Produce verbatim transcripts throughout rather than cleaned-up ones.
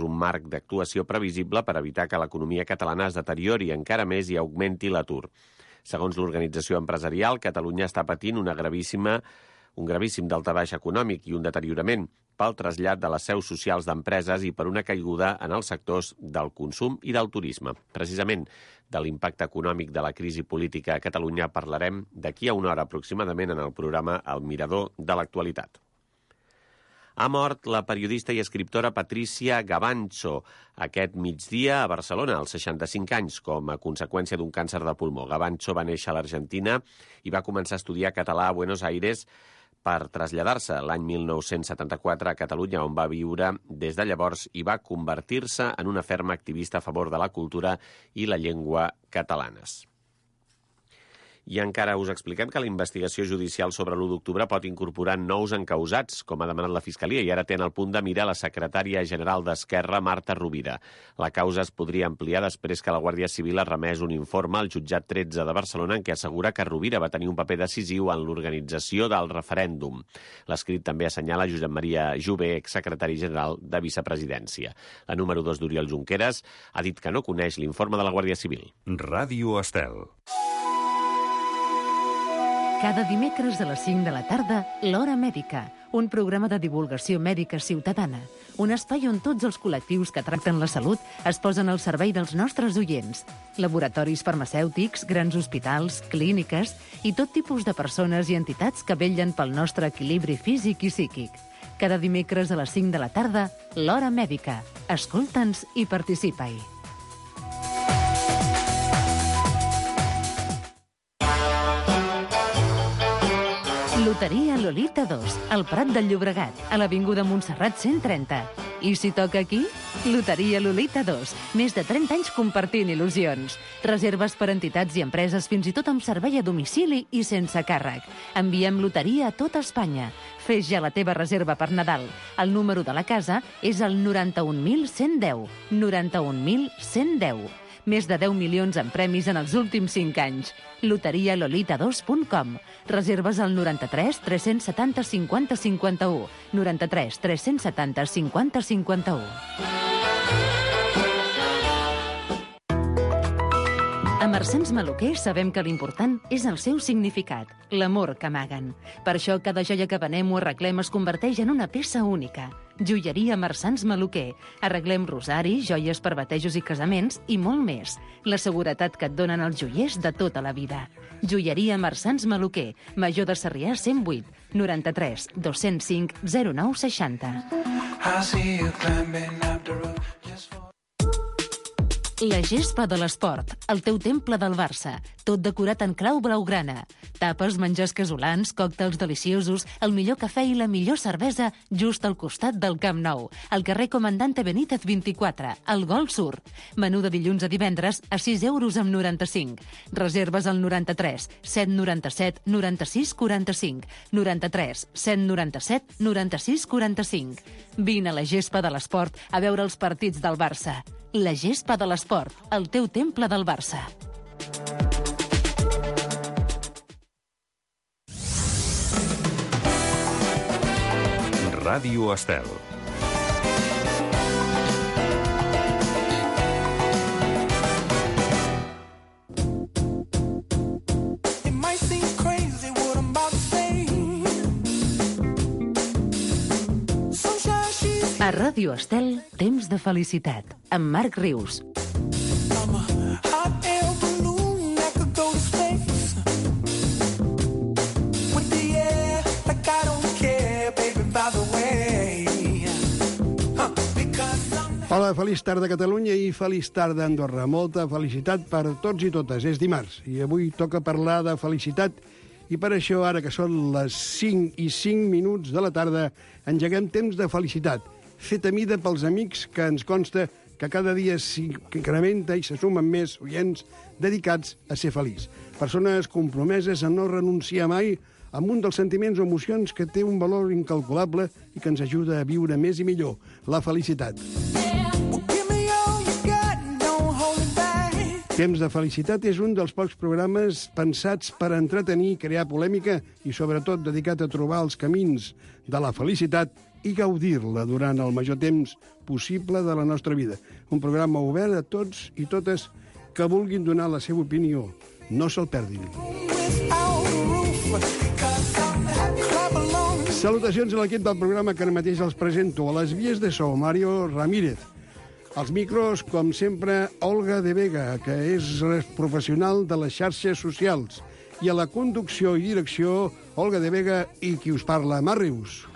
un marc d'actuació previsible per evitar que l'economia catalana es deteriori encara més i augmenti l'atur. Segons l'organització empresarial, Catalunya està patint una gravíssima, un gravíssim daltabaix econòmic i un deteriorament pel trasllat de les seus socials d'empreses i per una caiguda en els sectors del consum i del turisme. Precisament de l'impacte econòmic de la crisi política a Catalunya parlarem d'aquí a una hora aproximadament en el programa El Mirador de l'actualitat. Ha mort la periodista i escriptora Patricia Gavancho aquest migdia a Barcelona, als seixanta-cinc anys, com a conseqüència d'un càncer de pulmó. Gavancho va néixer a l'Argentina i va començar a estudiar català a Buenos Aires per traslladar-se l'any mil nou-cents setanta-quatre a Catalunya, on va viure des de llavors i va convertir-se en una ferma activista a favor de la cultura i la llengua catalanes. I encara us expliquem que la investigació judicial sobre l'u d'octubre pot incorporar nous encausats, com ha demanat la Fiscalia, i ara té en el punt de mira la secretària general d'Esquerra, Marta Rovira. La causa es podria ampliar després que la Guàrdia Civil ha remès un informe al jutjat tretze de Barcelona en què assegura que Rovira va tenir un paper decisiu en l'organització del referèndum. L'escrit també assenyala Josep Maria Jové, exsecretari general de Vicepresidència. La número dos d'Oriol Junqueras ha dit que no coneix l'informe de la Guàrdia Civil. Ràdio Estel. Cada dimecres a les cinc de la tarda, L'Hora Mèdica, un programa de divulgació mèdica ciutadana, un espai on tots els col·lectius que tracten la salut es posen al servei dels nostres oients. Laboratoris farmacèutics, grans hospitals, clíniques i tot tipus de persones i entitats que vetllen pel nostre equilibri físic i psíquic. Cada dimecres a les cinc de la tarda, L'Hora Mèdica. Escolta'ns i participa-hi. Loteria Lolita dos, al Prat del Llobregat, a l'Avinguda Montserrat cent trenta. I si toca aquí? Loteria Lolita dos, més de trenta anys compartint il·lusions. Reserves per entitats i empreses, fins i tot amb servei a domicili i sense càrrec. Enviem loteria a tota Espanya. Fes ja la teva reserva per Nadal. El número de la casa és el noranta-un mil cent deu. noranta-un mil cent deu. Més de deu milions en premis en els últims cinc anys. loteria lolita dos punt com. Reserves al noranta-tres tres-cents setanta cinquanta cinquanta-u. noranta-tres tres-cents setanta cinquanta cinquanta-u. A Marsans Maluquer sabem que l'important és el seu significat, l'amor que amaguen. Per això cada joia que venem o arreglem es converteix en una peça única. Joieria Marsans Maluquer. Arreglem rosaris, joies per batejos i casaments i molt més. La seguretat que et donen els joiers de tota la vida. Joieria Marsans Maluquer. Major de Sarrià cent vuit, noranta-tres dos-cents cinc zero nou seixanta. La gespa de l'esport, el teu temple del Barça, tot decorat en clau blaugrana. Tapes, menjars casolans, còctels deliciosos, el millor cafè i la millor cervesa just al costat del Camp Nou, al carrer Comandante Benítez vint-i-quatre, al Gol Sur. Menú de dilluns a divendres a sis euros amb noranta-cinc. Reserves al noranta-tres set noranta-set noranta-sis quaranta-cinc, noranta-tres set noranta-set noranta-sis quaranta-cinc. Vine a la gespa de l'esport a veure els partits del Barça. La gespa de l'esport, el teu temple del Barça. Ràdio Estel. A Ràdio Estel, temps de felicitat, amb Marc Rius. Hola, feliç tarda Catalunya i feliç tarda Andorra. Molta felicitat per tots i totes. És dimarts i avui toca parlar de felicitat i per això, ara que són les cinc i cinc minuts de la tarda, engeguem temps de felicitat, fet a mida pels amics que ens consta que cada dia s'incrementa i se sumen més oients dedicats a ser feliç. Persones compromeses a no renunciar mai amb un dels sentiments o emocions que té un valor incalculable i que ens ajuda a viure més i millor, la felicitat. Temps de felicitat és un dels pocs programes pensats per entretenir, crear polèmica i, sobretot, dedicat a trobar els camins de la felicitat i gaudir-la durant el major temps possible de la nostra vida. Un programa obert a tots i totes que vulguin donar la seva opinió. No se'l perdin. Salutacions a l'equip del programa que ara mateix els presento. A les vies de so, Mario Ramírez. Als micros, com sempre, Olga de Vega, que és professional de les xarxes socials. I a la conducció i direcció, Olga de Vega i qui us parla, Mar Rius.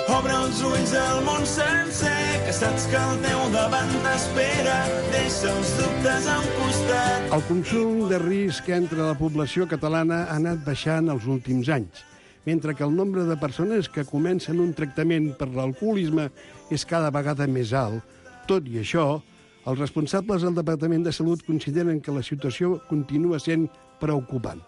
Obre els ulls al món sencer, que saps que el teu davant t'espera. Deixa els dubtes a un costat. El consum de risc entre la població catalana ha anat baixant els últims anys, mentre que el nombre de persones que comencen un tractament per l'alcoholisme és cada vegada més alt. Tot i això, els responsables del Departament de Salut consideren que la situació continua sent preocupant.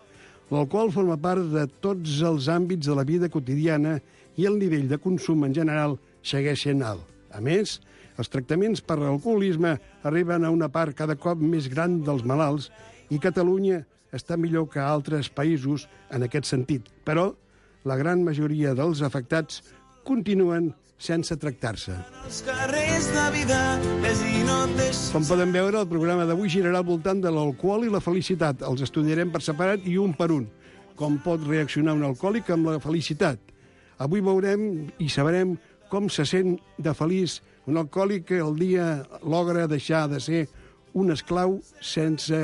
L'alcohol forma part de tots els àmbits de la vida quotidiana i el nivell de consum en general segueix sent alt. A més, els tractaments per l'alcoholisme arriben a una part cada cop més gran dels malalts i Catalunya està millor que altres països en aquest sentit. Però la gran majoria dels afectats continuen sense tractar-se. Com poden veure, el programa d'avui girarà al voltant de l'alcohol i la felicitat. Els estudiarem per separat i un per un. Com pot reaccionar un alcohòlic amb la felicitat? Avui veurem i sabrem com se sent de feliç un alcohòlic que el dia logra deixar de ser un esclau sense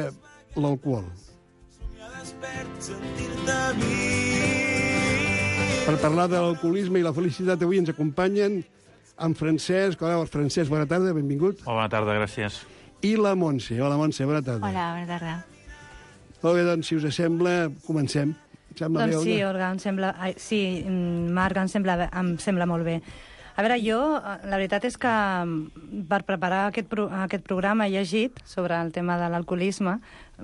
l'alcohol. Per parlar de l'alcoholisme i la felicitat, avui ens acompanyen en Francesc. Hola, Francesc, bona tarda, benvingut. Hola, bona tarda, gràcies. I la Montse. Hola, Montse, bona tarda. Hola, bona tarda. Molt bé, doncs, si us sembla, comencem. Sembla doncs bé, sí, Olga? Olga, em sembla... Ai, sí, Marc, em sembla, em sembla molt bé. A veure, jo, la veritat és que per preparar aquest, pro, aquest programa he llegit sobre el tema de l'alcoholisme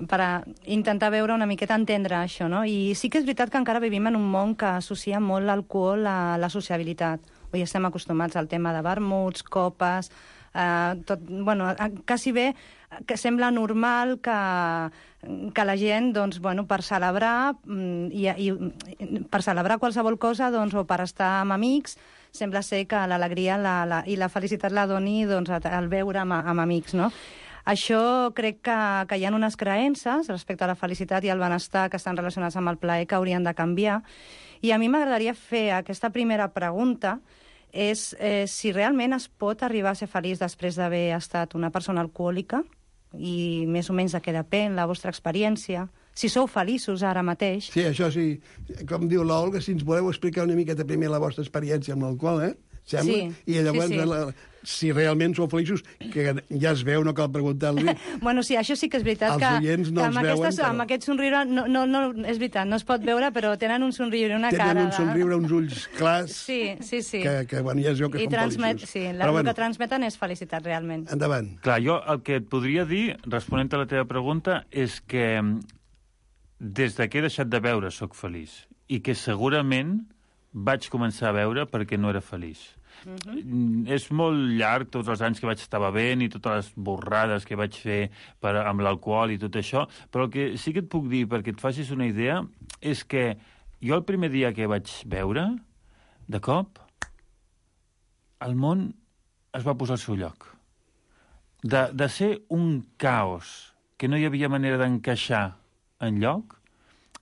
per a intentar veure una miqueta entendre això, no? I sí que és veritat que encara vivim en un món que associa molt l'alcohol a la sociabilitat. Avui estem acostumats al tema de vermuts, copes, eh, tot, bueno, quasi bé que sembla normal que, que la gent, doncs, bueno, per celebrar i, i per celebrar qualsevol cosa, doncs, o per estar amb amics, sembla ser que l'alegria la, la, i la felicitat la doni, doncs, al veure amb, amb amics, no? Això crec que, que hi ha unes creences respecte a la felicitat i al benestar que estan relacionats amb el plaer que haurien de canviar. I a mi m'agradaria fer aquesta primera pregunta, és eh, si realment es pot arribar a ser feliç després d'haver estat una persona alcohòlica, i més o menys de què depèn la vostra experiència, si sou feliços ara mateix. Sí, això sí. Com diu l'Olga, si ens voleu explicar una miqueta primer la vostra experiència amb l'alcohol, eh? Sembla? Sí, I llavors, sí, sí. La, si realment sou feliços, que ja es veu, no cal preguntar-li. Bueno, sí, això sí que és veritat. Els que, oients no que els amb, veuen, aquestes, però... amb aquest somriure, no, no, no, és veritat, no es pot veure, però tenen un somriure, una Tenen cara... Tenen un somriure, uns ulls clars, sí, sí, sí. Que, que bueno, ja es veu que I són transmet, feliços. sí, la, però, el bueno, que transmeten és felicitat, realment. endavant. Clar, jo el que et podria dir, responent a la teva pregunta, és que des de que he deixat de veure soc feliç i que segurament vaig començar a veure perquè no era feliç. Uh-huh. És molt llarg tots els anys que vaig estar bevent i totes les borrades que vaig fer per, amb l'alcohol i tot això, però el que sí que et puc dir, perquè et facis una idea, és que jo el primer dia que vaig beure, de cop, el món es va posar al seu lloc. De, de ser un caos que no hi havia manera d'encaixar enlloc,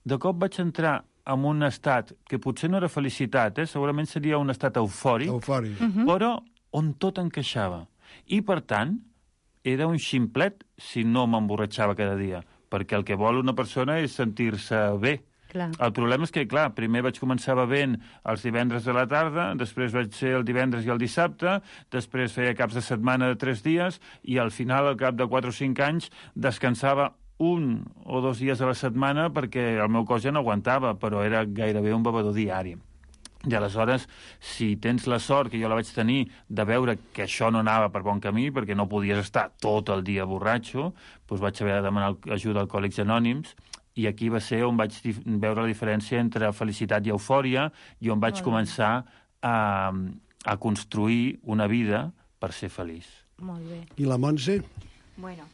de cop vaig entrar en un estat que potser no era felicitat, eh? Segurament seria un estat eufòric, Eufòric. Uh-huh. però on tot encaixava. I, per tant, era un ximplet si no m'emborratxava cada dia, perquè el que vol una persona és sentir-se bé. Clar. El problema és que, clar, primer vaig començar bevent els divendres de la tarda, després vaig ser el divendres i el dissabte, després feia caps de setmana de tres dies, i al final, al cap de quatre o cinc anys, descansava un o dos dies a la setmana perquè el meu cos ja no aguantava, però era gairebé un bevedor diari. I aleshores, si tens la sort, que jo la vaig tenir, de veure que això no anava per bon camí, perquè no podies estar tot el dia borratxo, doncs vaig haver de demanar ajuda a Alcohòlics Anònims, i aquí va ser on vaig veure la diferència entre felicitat i eufòria, i on vaig Molt començar a, a construir una vida per ser feliç. Molt bé. I la Montse? Bueno,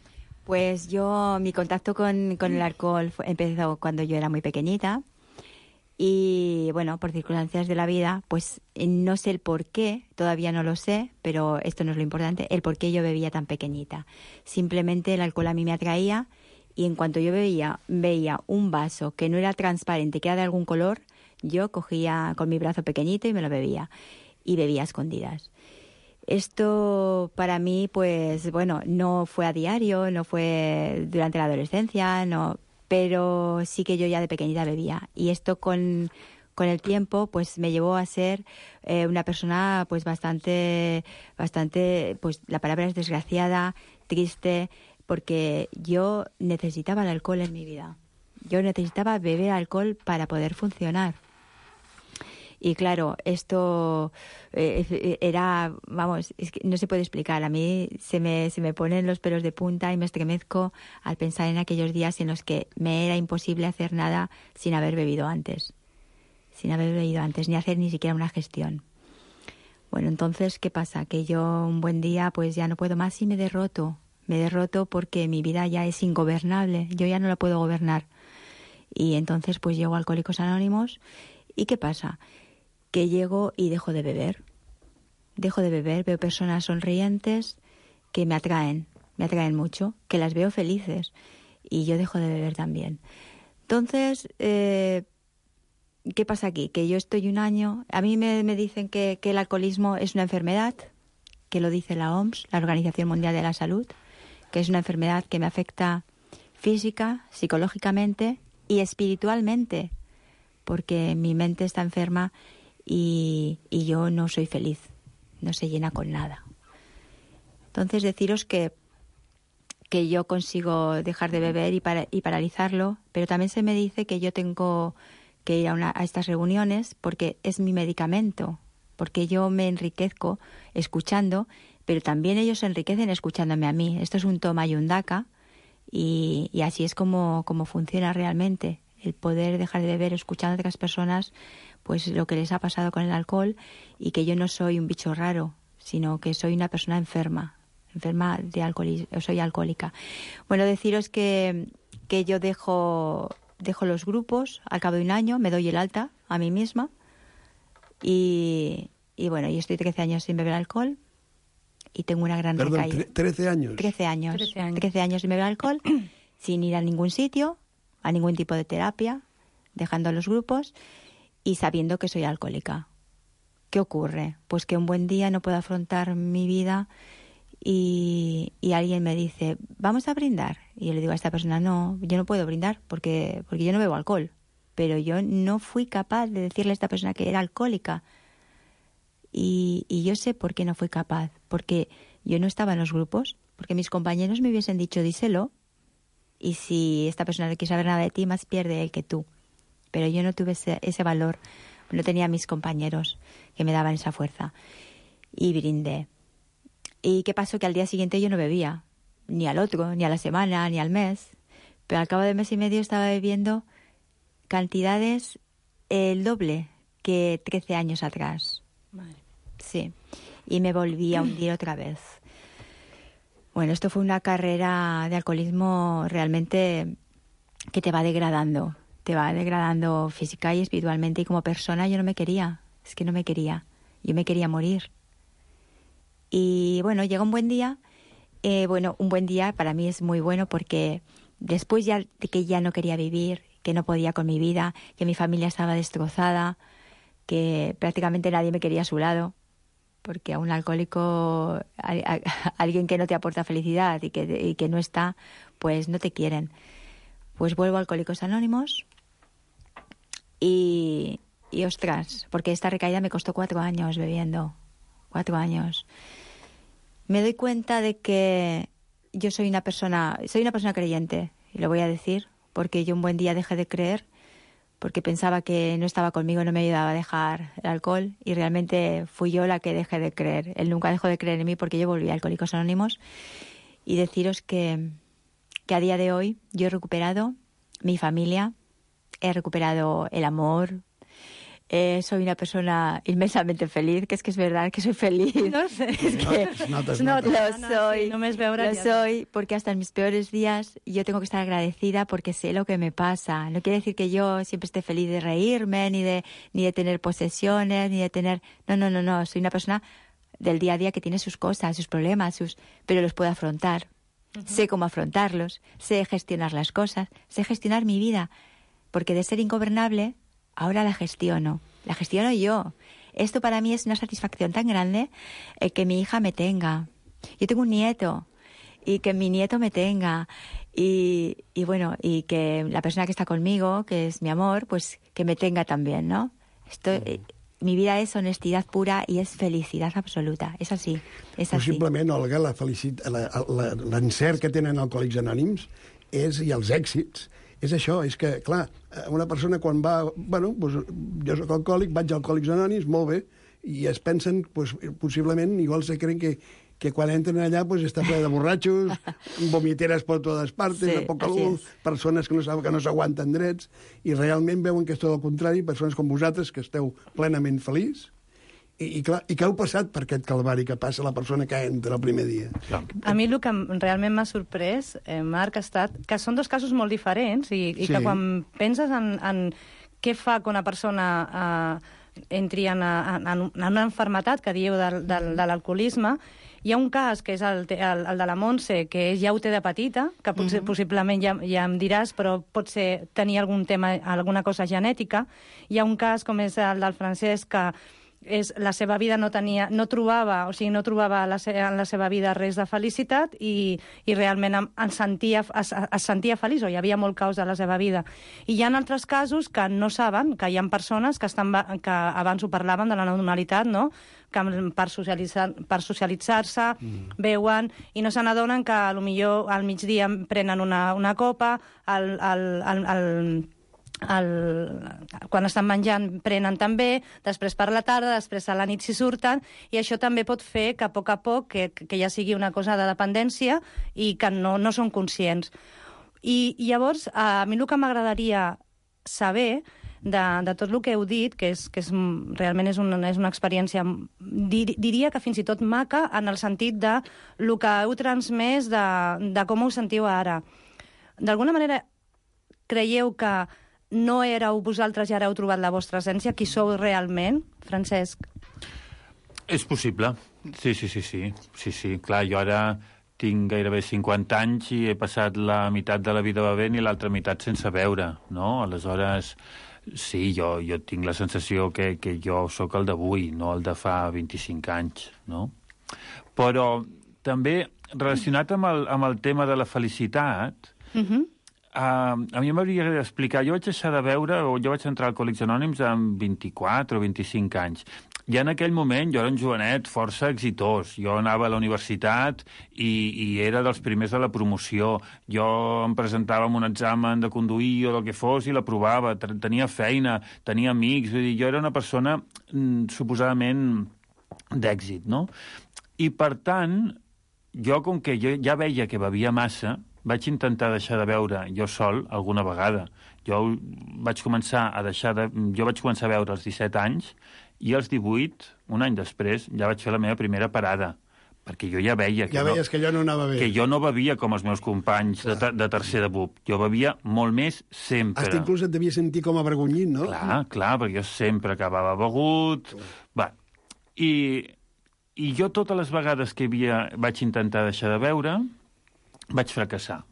pues yo, mi contacto con, con el alcohol fue, empezó cuando yo era muy pequeñita Y bueno, por circunstancias de la vida, pues no sé el por qué, todavía no lo sé, pero esto no es lo importante, el por qué yo bebía tan pequeñita. Simplemente el alcohol a mí me atraía y en cuanto yo bebía, veía un vaso que no era transparente, que era de algún color, yo cogía con mi brazo pequeñito y me lo bebía. Y bebía a escondidas. Esto para mí, pues bueno, no fue a diario, no fue durante la adolescencia, no... pero sí que yo ya de pequeñita bebía. Y esto con, con el tiempo pues me llevó a ser eh, una persona pues bastante, bastante, pues la palabra es desgraciada, triste, porque yo necesitaba el alcohol en mi vida. Yo necesitaba beber alcohol para poder funcionar. Y claro, esto eh, era, vamos, es que no se puede explicar. A mí se me, se me ponen los pelos de punta y me estremezco al pensar en aquellos días en los que me era imposible hacer nada sin haber bebido antes. Sin haber bebido antes, ni hacer ni siquiera una gestión. Bueno, entonces, ¿qué pasa? Que yo un buen día pues ya no puedo más y me derroto. Me derroto porque mi vida ya es ingobernable. Yo ya no la puedo gobernar. Y entonces pues llego a Alcohólicos Anónimos. ¿Y qué pasa? Que llego y dejo de beber. Dejo de beber, veo personas sonrientes que me atraen, me atraen mucho, que las veo felices y yo dejo de beber también. Entonces, eh, ¿qué pasa aquí? Que yo estoy un año, a mí me, me dicen que, que el alcoholismo es una enfermedad, que lo dice la O M S, la Organización Mundial de la Salud, que es una enfermedad que me afecta física, psicológicamente y espiritualmente, porque mi mente está enferma y, y yo no soy feliz, no se llena con nada. Entonces deciros que, que yo consigo dejar de beber y, para, y paralizarlo, pero también se me dice que yo tengo que ir a, una, a estas reuniones porque es mi medicamento, porque yo me enriquezco escuchando, pero también ellos se enriquecen escuchándome a mí. Esto es un toma y un daca y, y así es como, como funciona realmente. El poder dejar de beber escuchando a otras personas pues lo que les ha pasado con el alcohol y que yo no soy un bicho raro, sino que soy una persona enferma, enferma de alcoholismo, soy alcohólica. Bueno, deciros que, que yo dejo, dejo los grupos al cabo de un año, me doy el alta a mí misma y, y bueno, yo estoy trece años sin beber alcohol y tengo una gran Perdón, recaída. ¿trece años? trece años. trece años. trece años sin beber alcohol, sin ir a ningún sitio, a ningún tipo de terapia, dejando los grupos y sabiendo que soy alcohólica. ¿Qué ocurre? Pues que un buen día no puedo afrontar mi vida y, y alguien me dice, vamos a brindar. Y yo le digo a esta persona, no, yo no puedo brindar porque, porque yo no bebo alcohol. Pero yo no fui capaz de decirle a esta persona que era alcohólica. Y, y yo sé por qué no fui capaz. Porque yo no estaba en los grupos, porque mis compañeros me hubiesen dicho, díselo. Y si esta persona no quiere saber nada de ti, más pierde él que tú. Pero yo no tuve ese, ese valor, no tenía a mis compañeros que me daban esa fuerza. Y brindé. ¿Y qué pasó? Que al día siguiente yo no bebía, ni al otro, ni a la semana, ni al mes. Pero al cabo de mes y medio estaba bebiendo cantidades el doble que trece años atrás. Madre. Sí. Y me volví a hundir otra vez. Bueno, esto fue una carrera de alcoholismo realmente que te va degradando. Te va degradando física y espiritualmente. Y como persona yo no me quería. Es que no me quería. Yo me quería morir. Y bueno, llega un buen día. Eh, bueno, un buen día para mí es muy bueno porque después ya de que ya no quería vivir, que no podía con mi vida, que mi familia estaba destrozada, que prácticamente nadie me quería a su lado, porque a un alcohólico, a, a, a alguien que no te aporta felicidad y que, y que no está, pues no te quieren. Pues vuelvo a Alcohólicos Anónimos y, y ostras, porque esta recaída me costó cuatro años bebiendo, cuatro años. Me doy cuenta de que yo soy una persona, soy una persona creyente, y lo voy a decir, porque yo un buen día dejé de creer, porque pensaba que no estaba conmigo, no me ayudaba a dejar el alcohol, y realmente fui yo la que dejé de creer. Él nunca dejó de creer en mí porque yo volví a Alcohólicos Anónimos. Y deciros que, que a día de hoy yo he recuperado mi familia, he recuperado el amor, eh, soy una persona inmensamente feliz, que es que es verdad que soy feliz. No sé. Es que Es nota, es No, nota. lo no, soy, sí, només veure lo ja. soy, porque hasta en mis peores días yo tengo que estar agradecida porque sé lo que me pasa. No quiere decir que yo siempre esté feliz de reírme, ni de, ni de tener posesiones, ni de tener... No, no, no, no, soy una persona del día a día que tiene sus cosas, sus problemas, sus... pero los puedo afrontar. Uh-huh. Sé cómo afrontarlos, sé gestionar las cosas, sé gestionar mi vida, porque de ser ingobernable, ahora la gestiono, la gestiono yo. Esto para mí es una satisfacción tan grande eh, que mi hija me tenga. Yo tengo un nieto y que mi nieto me tenga y, y bueno, y que la persona que está conmigo, que es mi amor, pues que me tenga también, ¿no? Esto, eh, mi vida és honestidad pura i és felicitat absoluta. És així, és així. Possiblement, Olga, la felicit... la- la- l'encert que tenen Alcohòlics Anònims és, i els èxits és això, és que, clar, una persona quan va... Bueno, doncs, jo soc alcohòlic, vaig a Alcohòlics Anònims, molt bé, i es pensen, doncs, possiblement, igual se creen que, que quan entren allà pues, està ple de borratxos, vomiteres per totes partes, Sí, de poca así luz, es. persones que no saben que no s'aguanten drets, i realment veuen que és tot el contrari, persones com vosaltres, que esteu plenament feliç, i, i, clar, i què heu passat per aquest calvari que passa la persona que entra el primer dia? Clar. A mi el que em- realment m'ha sorprès, eh, Marc, ha estat que són dos casos molt diferents i, i Sí. que quan penses en, en què fa que una persona eh, entri en, en, en una enfermetat que dieu del, del, de l'alcoholisme, hi ha un cas, que és el, te- el, el de la Montse, que ja ho té de petita, que potser, Mhm. possiblement ja, ja em diràs, però pot ser tenir algun tema, alguna cosa genètica. Hi ha un cas, com és el del Francesc, que és, la seva vida no tenia, no trobava, o sigui, no trobava la se, en la seva vida res de felicitat i, i realment em, em sentia, es, es sentia feliç, o hi havia molt caos a la seva vida. I hi ha altres casos que no saben, que hi ha persones que, estan, ba- que abans ho parlaven de la normalitat, no?, que per socialitzar, per socialitzar-se mm. veuen i no se n'adonen que potser al migdia prenen una, una copa, al, al, al, al el, quan estan menjant prenen també, després per la tarda, després a la nit s'hi surten, i això també pot fer que a poc a poc que, que ja sigui una cosa de dependència i que no, no són conscients. I, i llavors, a mi el que m'agradaria saber de, de tot el que heu dit, que, és, que és, realment és una, és una experiència, dir, diria que fins i tot maca, en el sentit de el que heu transmès, de, de com ho sentiu ara. D'alguna manera, creieu que no éreu vosaltres i ara heu trobat la vostra essència? Qui sou realment, Francesc? És possible. Sí, sí, sí, sí. Sí, sí. Clar, jo ara tinc gairebé cinquanta anys i he passat la meitat de la vida bevent i l'altra meitat sense beure, no? Aleshores, sí, jo, jo tinc la sensació que, que jo sóc el d'avui, no el de fa vint-i-cinc anys, no? Però també, relacionat amb el, amb el tema de la felicitat, Uh-huh. Uh, a mi m'hauria d'explicar, jo vaig deixar de beure, o jo vaig entrar a Alcohòlics Anònims amb vint-i-quatre o vint-i-cinc anys. Ja en aquell moment jo era un jovenet força exitós. Jo anava a la universitat i, i era dels primers de la promoció. Jo em presentava en un examen de conduir o del que fos i l'aprovava. Tenia feina, tenia amics. Vull dir, jo era una persona mm, suposadament d'èxit, no? I, per tant, jo, com que jo ja veia que bevia massa, vaig intentar deixar de beure jo sol alguna vegada. Jo vaig començar a deixar de... Jo vaig començar a beure als disset anys i als divuit, un any després, ja vaig fer la meva primera parada, perquè jo ja veia que, Ja no, veies que allò no anava bé. que jo no bevia com els meus companys de, ter- de tercer de B U P. Jo bevia molt més sempre. Hasta inclús et devia sentir com avergonyit, no? Clar, clar, perquè jo sempre acabava begut. Va. I, I jo totes les vegades que havia, vaig intentar deixar de beure, vaig fracassar.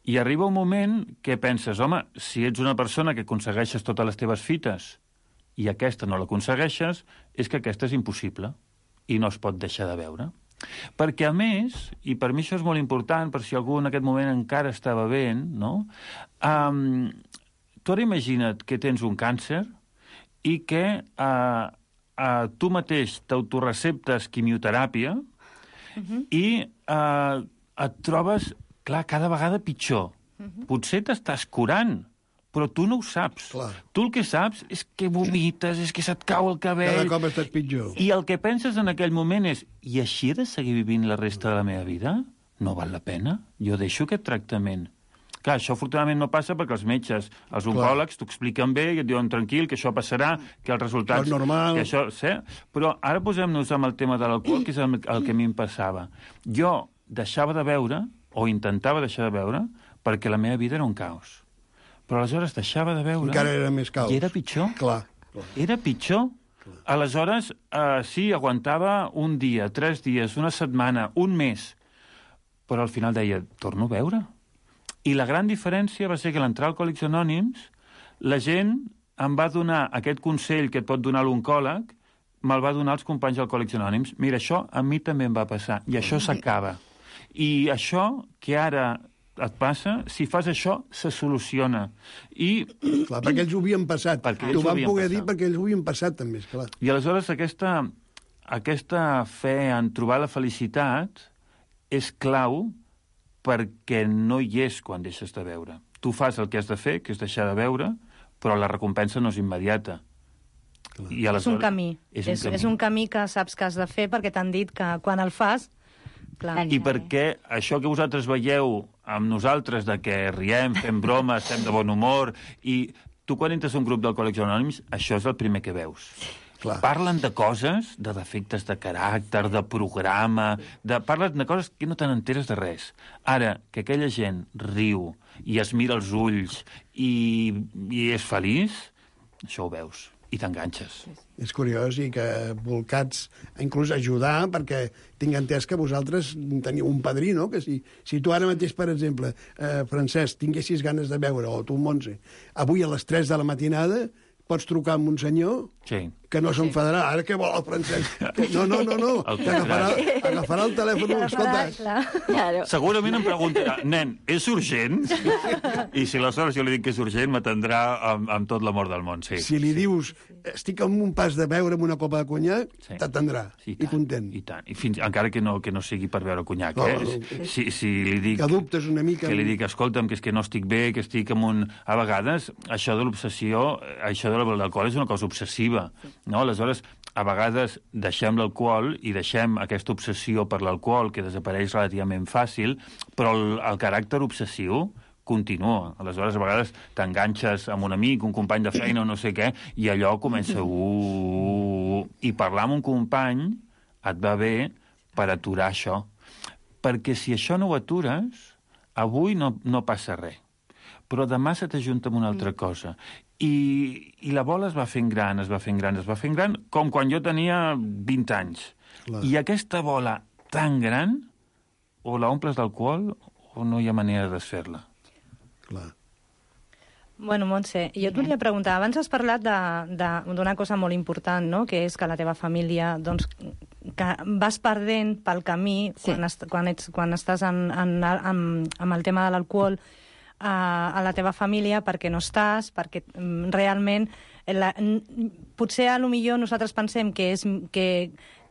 I arriba un moment que penses, home, si ets una persona que aconsegueixes totes les teves fites i aquesta no l'aconsegueixes, és que aquesta és impossible i no es pot deixar de beure. Perquè, a més, i per mi això és molt important, per si algú en aquest moment encara està bevent, no? Um, tu ara imagina't que tens un càncer i que uh, uh, tu mateix t'autoreceptes quimioteràpia uh-huh. i uh, et trobes, clar, cada vegada pitjor. Uh-huh. Potser t'estàs curant, però tu no ho saps. Clar. Tu el que saps és que vomites, és que se't cau el cabell... Cada cop estàs pitjor. I el que penses en aquell moment és, i així he de seguir vivint la resta de la meva vida? No val la pena? Jo deixo aquest tractament. Clar, això afortunadament no passa perquè els metges, els oncòlegs, t'ho expliquen bé i et diuen tranquil, que això passarà, que els resultats... És normal. Que això, sí? Però ara posem-nos amb el tema de l'alcohol, que és el, el que a mi em passava. Jo deixava de beure, o intentava deixar de beure, perquè la meva vida era un caos. Però aleshores deixava de beure... Encara era més caos. I era pitjor. Clar. clar. Era pitjor. Clar. Aleshores, eh, sí, aguantava un dia, tres dies, una setmana, un mes, però al final deia, torno a beure. I la gran diferència va ser que a l'entrar a Alcohòlics Anònims, la gent em va donar aquest consell que et pot donar l'oncòleg, me'l va donar els companys d'Alcohòlics Anònims. Mira, això a mi també em va passar, i això s'acaba. I això que ara et passa, si fas això, se soluciona. I... Clar, perquè ells ho havien passat. T'ho van poder passat. dir perquè ells ho havien passat, també, esclar. I aleshores aquesta, aquesta fe en trobar la felicitat és clau perquè no hi és quan deixes de beure. Tu fas el que has de fer, que és deixar de beure, però la recompensa no és immediata. I és un camí. És un, és, camí. és un camí que saps que has de fer perquè t'han dit que quan el fas... Clar. I perquè això que vosaltres veieu amb nosaltres, de que riem, fem bromes, estem de bon humor, i tu quan entres a un grup d'Alcohòlics Anònims, això és el primer que veus. Clar. Parlen de coses, de defectes de caràcter, de programa, de... parlen de coses que no te n'enteres de res. Ara, que aquella gent riu i es mira els ulls i, i és feliç, això ho veus i t'enganxes. És curiós i que volcats inclús ajudar, perquè tinc entès que vosaltres teniu un padrí, no? Que si, si tu ara mateix, per exemple, eh, Francesc, tinguessis ganes de beure, o tu, Montse, avui a les tres de la matinada pots trucar amb un senyor sí. que no s'enfadarà. Ara què vol el Francesc? No, no, no, no. Que agafarà, agafarà el telèfon. Escolta. Claro. Segurament em preguntarà, nen, és urgent? I si aleshores jo li dic que és urgent, m'atendrà amb, amb tot l'amor del món, sí. Si li sí. dius, estic amb un pas de beure amb una copa de conyac, sí. t'atendrà. Sí, i, i content. I tant. I fins, encara que no, que no sigui per beure conyac, no, eh? No. Si, si li dic... Que dubtes una mica. Que li dic, escolta'm, que és que no estic bé, que estic amb un... A vegades, això de l'obsessió, això de l'alcohol és una cosa obsessiva, no? Aleshores, a vegades deixem l'alcohol i deixem aquesta obsessió per l'alcohol, que desapareix relativament fàcil, però el, el caràcter obsessiu continua. Aleshores, a vegades t'enganxes amb un amic, un company de feina o no sé què, i allò comença... Uh, I parlar amb un company et va bé per aturar això. Perquè si això no ho atures, avui no, no passa res. Però demà se t'ajunta amb una altra cosa. I, I la bola es va fent gran, es va fent gran, es va fent gran, com quan jo tenia vint anys. Clar. I aquesta bola tan gran, o la omples d'alcohol, o no hi ha manera de desfer-la. Clar. Bueno, Montse, jo et volia preguntar, abans has parlat d'una cosa molt important, no?, que és que la teva família, doncs, que vas perdent pel camí, sí. quan, est quan, ets, quan estàs en, en, en, amb el tema de l'alcohol, a, a la teva família perquè no estàs, perquè mm, realment la, potser a lo millor nosaltres pensem que, és, que,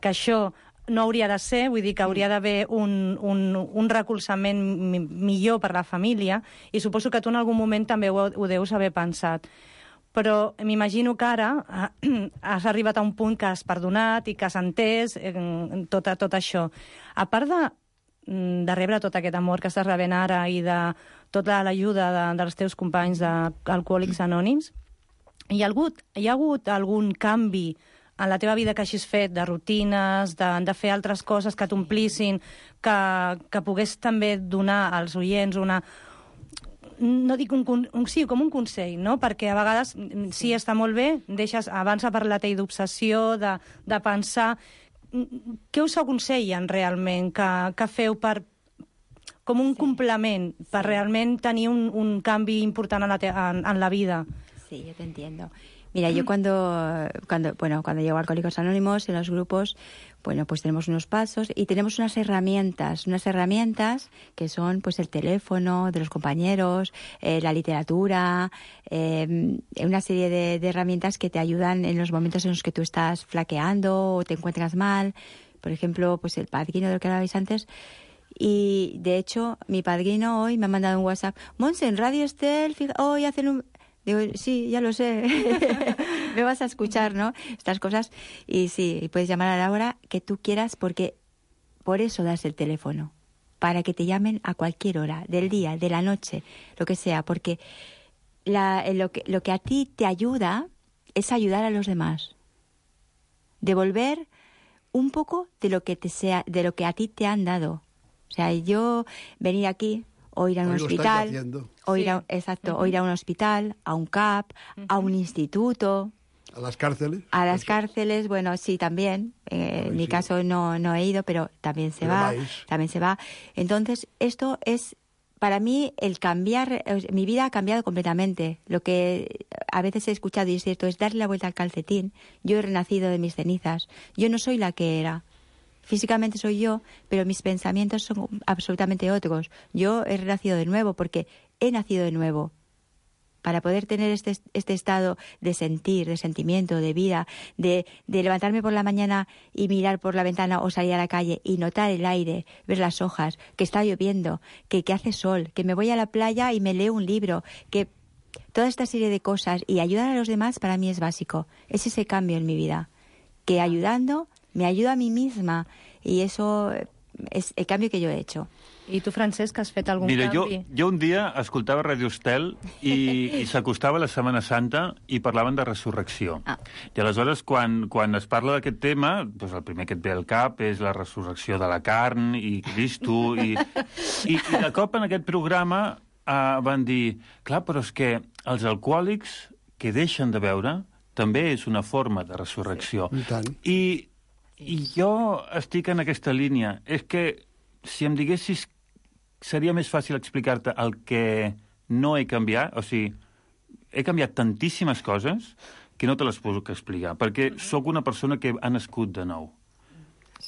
que això no hauria de ser, vull dir que hauria d'haver un, un, un recolzament mi, millor per la família, i suposo que tu en algun moment també ho, ho deus haver pensat. Però m'imagino que ara eh, has arribat a un punt que has perdonat i que has entès eh, tot, tot això. A part de de rebre tot aquest amor que estàs rebent ara i de tota l'ajuda de, dels teus companys d'Alcohòlics Anònims, hi ha, hagut, hi ha hagut algun canvi en la teva vida que hagis fet, de rutines, de, de fer altres coses que t'omplissin, que, que pogués també donar als oients una... no dic un, un sí, com un consell, no? Perquè a vegades sí, està molt bé, deixes, abans ha parlat ell d'obsessió, de, de pensar... Què us aconsellen realment que, que feu per, com un sí. complement per sí. realment tenir un, un canvi important en la, te, en, en la vida? Sí, yo te entiendo. Mira, yo cuando, cuando, bueno, cuando llego a Alcohólicos Anónimos, en los grupos, bueno, pues tenemos unos pasos y tenemos unas herramientas, unas herramientas que son, pues, el teléfono de los compañeros, eh, la literatura, eh, una serie de, de herramientas que te ayudan en los momentos en los que tú estás flaqueando o te encuentras mal. Por ejemplo, pues el padrino del que hablabais antes. Y, de hecho, mi padrino hoy me ha mandado un WhatsApp. Monse, en Radio Estel, hoy hacen un... Digo, sí, ya lo sé, me vas a escuchar, ¿no? Estas cosas. Y sí, puedes llamar a la hora que tú quieras porque por eso das el teléfono. para que te llamen a cualquier hora, del día, de la noche, lo que sea, porque la, lo, que, lo que a ti te ayuda es ayudar a los demás. Devolver un poco de lo que te sea, de lo que a ti te han dado. O sea, yo venir aquí o ir a un Hoy hospital, o ir a, exacto, uh-huh. o ir a un hospital, a un C A P, uh-huh. a un instituto, a las cárceles. A las cárceles, bueno, sí, también. Eh, en mi sí. caso no, no he ido, pero también se pero va. vais. También se va. Entonces, esto es, para mí, el cambiar, mi vida ha cambiado completamente. Lo que a veces he escuchado, y es cierto, es darle la vuelta al calcetín. Yo he renacido de mis cenizas. Yo no soy la que era. Físicamente soy yo, pero mis pensamientos son absolutamente otros. Yo he renacido de nuevo porque he nacido de nuevo. Para poder tener este, este estado de sentir, de sentimiento, de vida, de, de levantarme por la mañana y mirar por la ventana o salir a la calle y notar el aire, ver las hojas, que está lloviendo, que, que hace sol, que me voy a la playa y me leo un libro, que toda esta serie de cosas y ayudar a los demás para mí es básico. Es ese cambio en mi vida, que ayudando me ayuda a mí misma y eso és el canvi que jo he hecho. I tu, Francesc, has fet algun Mira, canvi? Jo, jo un dia escoltava Radio Estel i, i s'acostava la Setmana Santa i parlaven de resurrecció. Ah. I aleshores, quan, quan es parla d'aquest tema, doncs el primer que et ve al cap és la resurrecció de la carn i Cristo. I, i, i de cop en aquest programa uh, van dir, clar, però és que els alcohòlics que deixen de beure també és una forma de resurrecció. I tant. I, I jo estic en aquesta línia. És que si em diguessis seria més fàcil explicar-te el que no he canviat, o sigui, he canviat tantíssimes coses que no te les puc explicar, perquè sóc una persona que ha nascut de nou.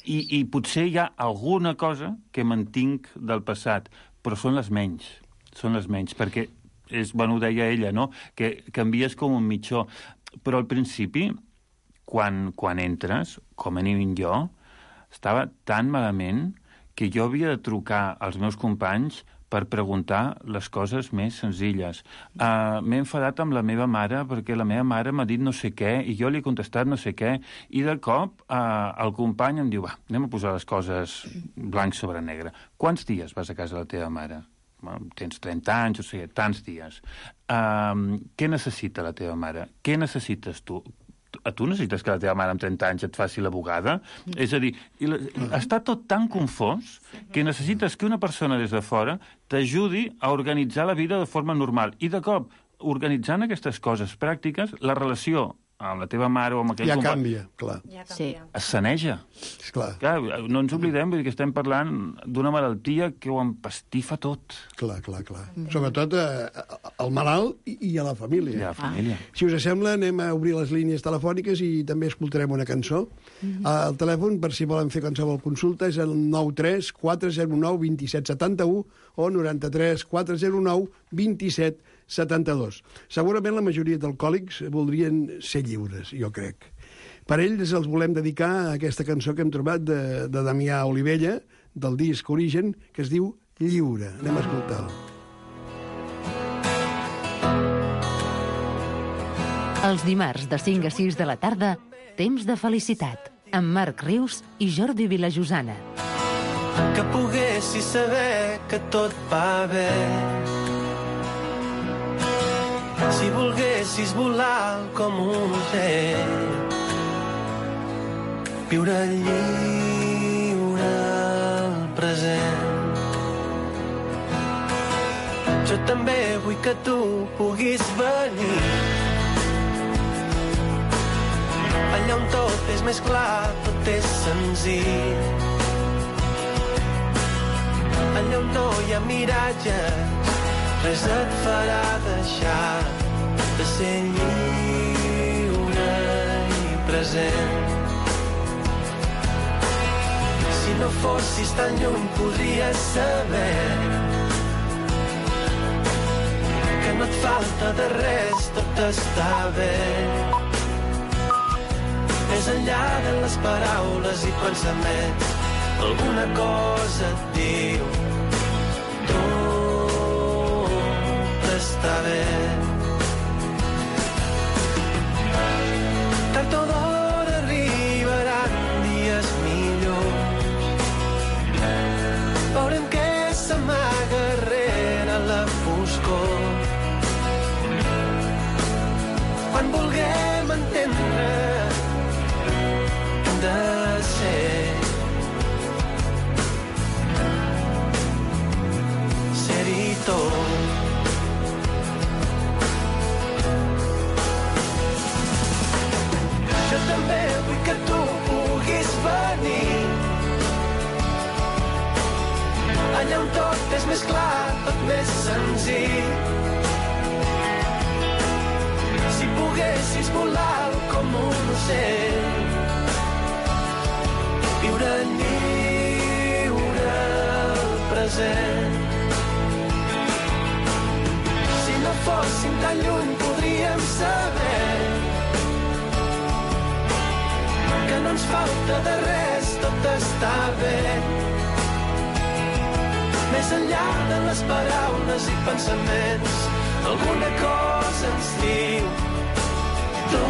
I, i potser hi ha alguna cosa que mantinc del passat, però són les menys, són les menys, perquè, és, bueno, ho deia ella, no?, que canvies com un mitjó. Però al principi, quan, quan entres, com a mínim jo, estava tan malament que jo havia de trucar als meus companys per preguntar les coses més senzilles. Uh, M'he enfadat amb la meva mare perquè la meva mare m'ha dit no sé què i jo li he contestat no sé què i de cop uh, el company em diu va, anem a posar les coses blanc sobre negre. Quants dies vas a casa de la teva mare? Bueno, tens trenta anys, o sigui, tants dies. Uh, què necessita la teva mare? Què necessites tu? A tu necessites que la teva mare amb trenta anys et faci la bugada? Mm. És a dir, està tot tan confós que necessites que una persona des de fora t'ajudi a organitzar la vida de forma normal. I de cop, organitzant aquestes coses pràctiques, la relació amb la teva mare o amb aquell ja company... canvia, clar. Ja canvia. Sí. Es saneja. Clar. Clar, no ens oblidem, vull dir que estem parlant d'una malaltia que ho empastifa tot. Clar, clar, clar. Mm. Sobretot eh, al malalt i, i a la família. I a la família. Ah. Si us sembla, anem a obrir les línies telefòniques i també escoltarem una cançó. Mm-hmm. El telèfon, per si volen fer qualsevol consulta, és el nou tres quatre zero nou dos set set u o noranta-tres quatre zero nou dos set setanta-dos. Segurament la majoria d'alcohòlics voldrien ser lliures, jo crec. Per ells els volem dedicar aquesta cançó que hem trobat de, de Damià Olivella, del disc Origen, que es diu Lliure. Anem a escoltar-lo. Els dimarts de cinc a sis de la tarda, Temps de felicitat, amb Marc Rius i Jordi Vilajosana. Que poguessis saber que tot va bé. Si volguessis volar com un ocell, viure lliure al present. Jo també vull que tu puguis venir allà on tot és més clar, tot és senzill, allà on no hi ha miratges, res et farà deixar de ser lliure i present. Si no fossis tan lluny podries saber que no et falta de res, tot està bé. Més enllà de les paraules i pensaments, alguna cosa et diu està bé. Tard o d'hora arribaran dies millors. Veurem què cor. Quan vulguem entendre que hem de ser ser-hi tot. Jo també vull que tu puguis venir allà on tot és més clar, tot més senzill. Si poguessis volar com un ocell, viure lliure el present. Si no fóssim tan lluny podríem saber que no ens falta de res, tot està bé. Més enllà de les paraules i pensaments, alguna cosa ens diu tot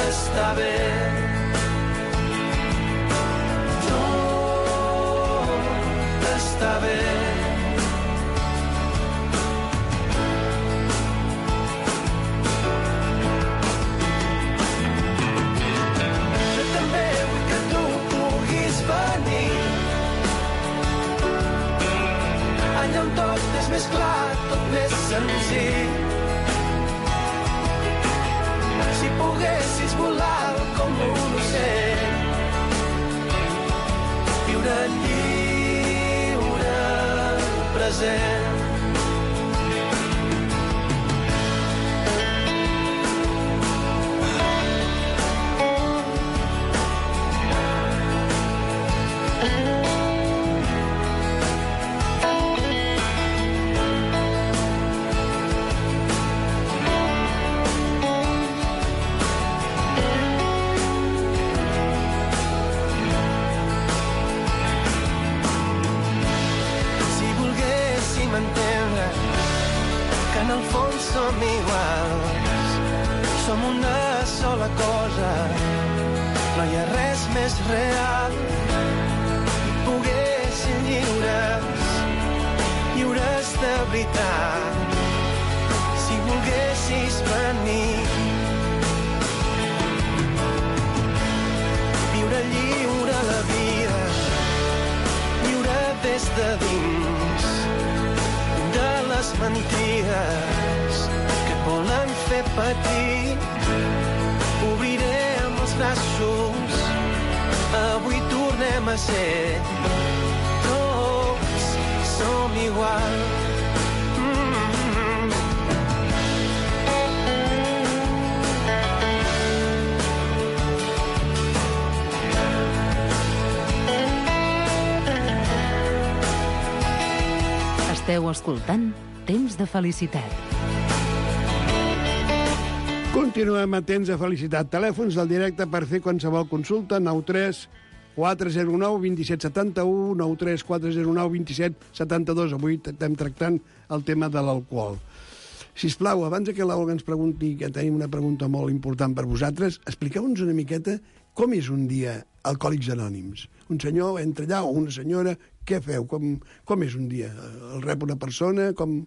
està bé. Tot està bé. Jo també vull que tu puguis venir allà on tot és més clar, tot més senzill. Si poguessis volar com un ocell, viure lliure el present. En el fons som iguals, som una sola cosa, no hi ha res més real. I poguéssim lliures, lliures de veritat, si volguessis venir. Viure lliure la vida, lliure des de dins de les mentides que et volen fer patir. Obrirem els braços, avui tornem a ser, tots som iguals. Mm-hmm. Esteu escoltant Temps de Felicitat. Continuem a Temps de Felicitat. Telèfons del directe per fer qualsevol consulta, nou tres quatre zero nou dos set set u, nou tres quatre zero nou dos set set dos. Avui estem tractant el tema de l'alcohol. Sisplau, abans que l'Olga ens pregunti, que tenim una pregunta molt important per vosaltres, expliqueu-nos una miqueta com és un dia Alcohòlics Anònims. Un senyor entra allà o una senyora, què feu? Com, com és un dia? El rep una persona? Com...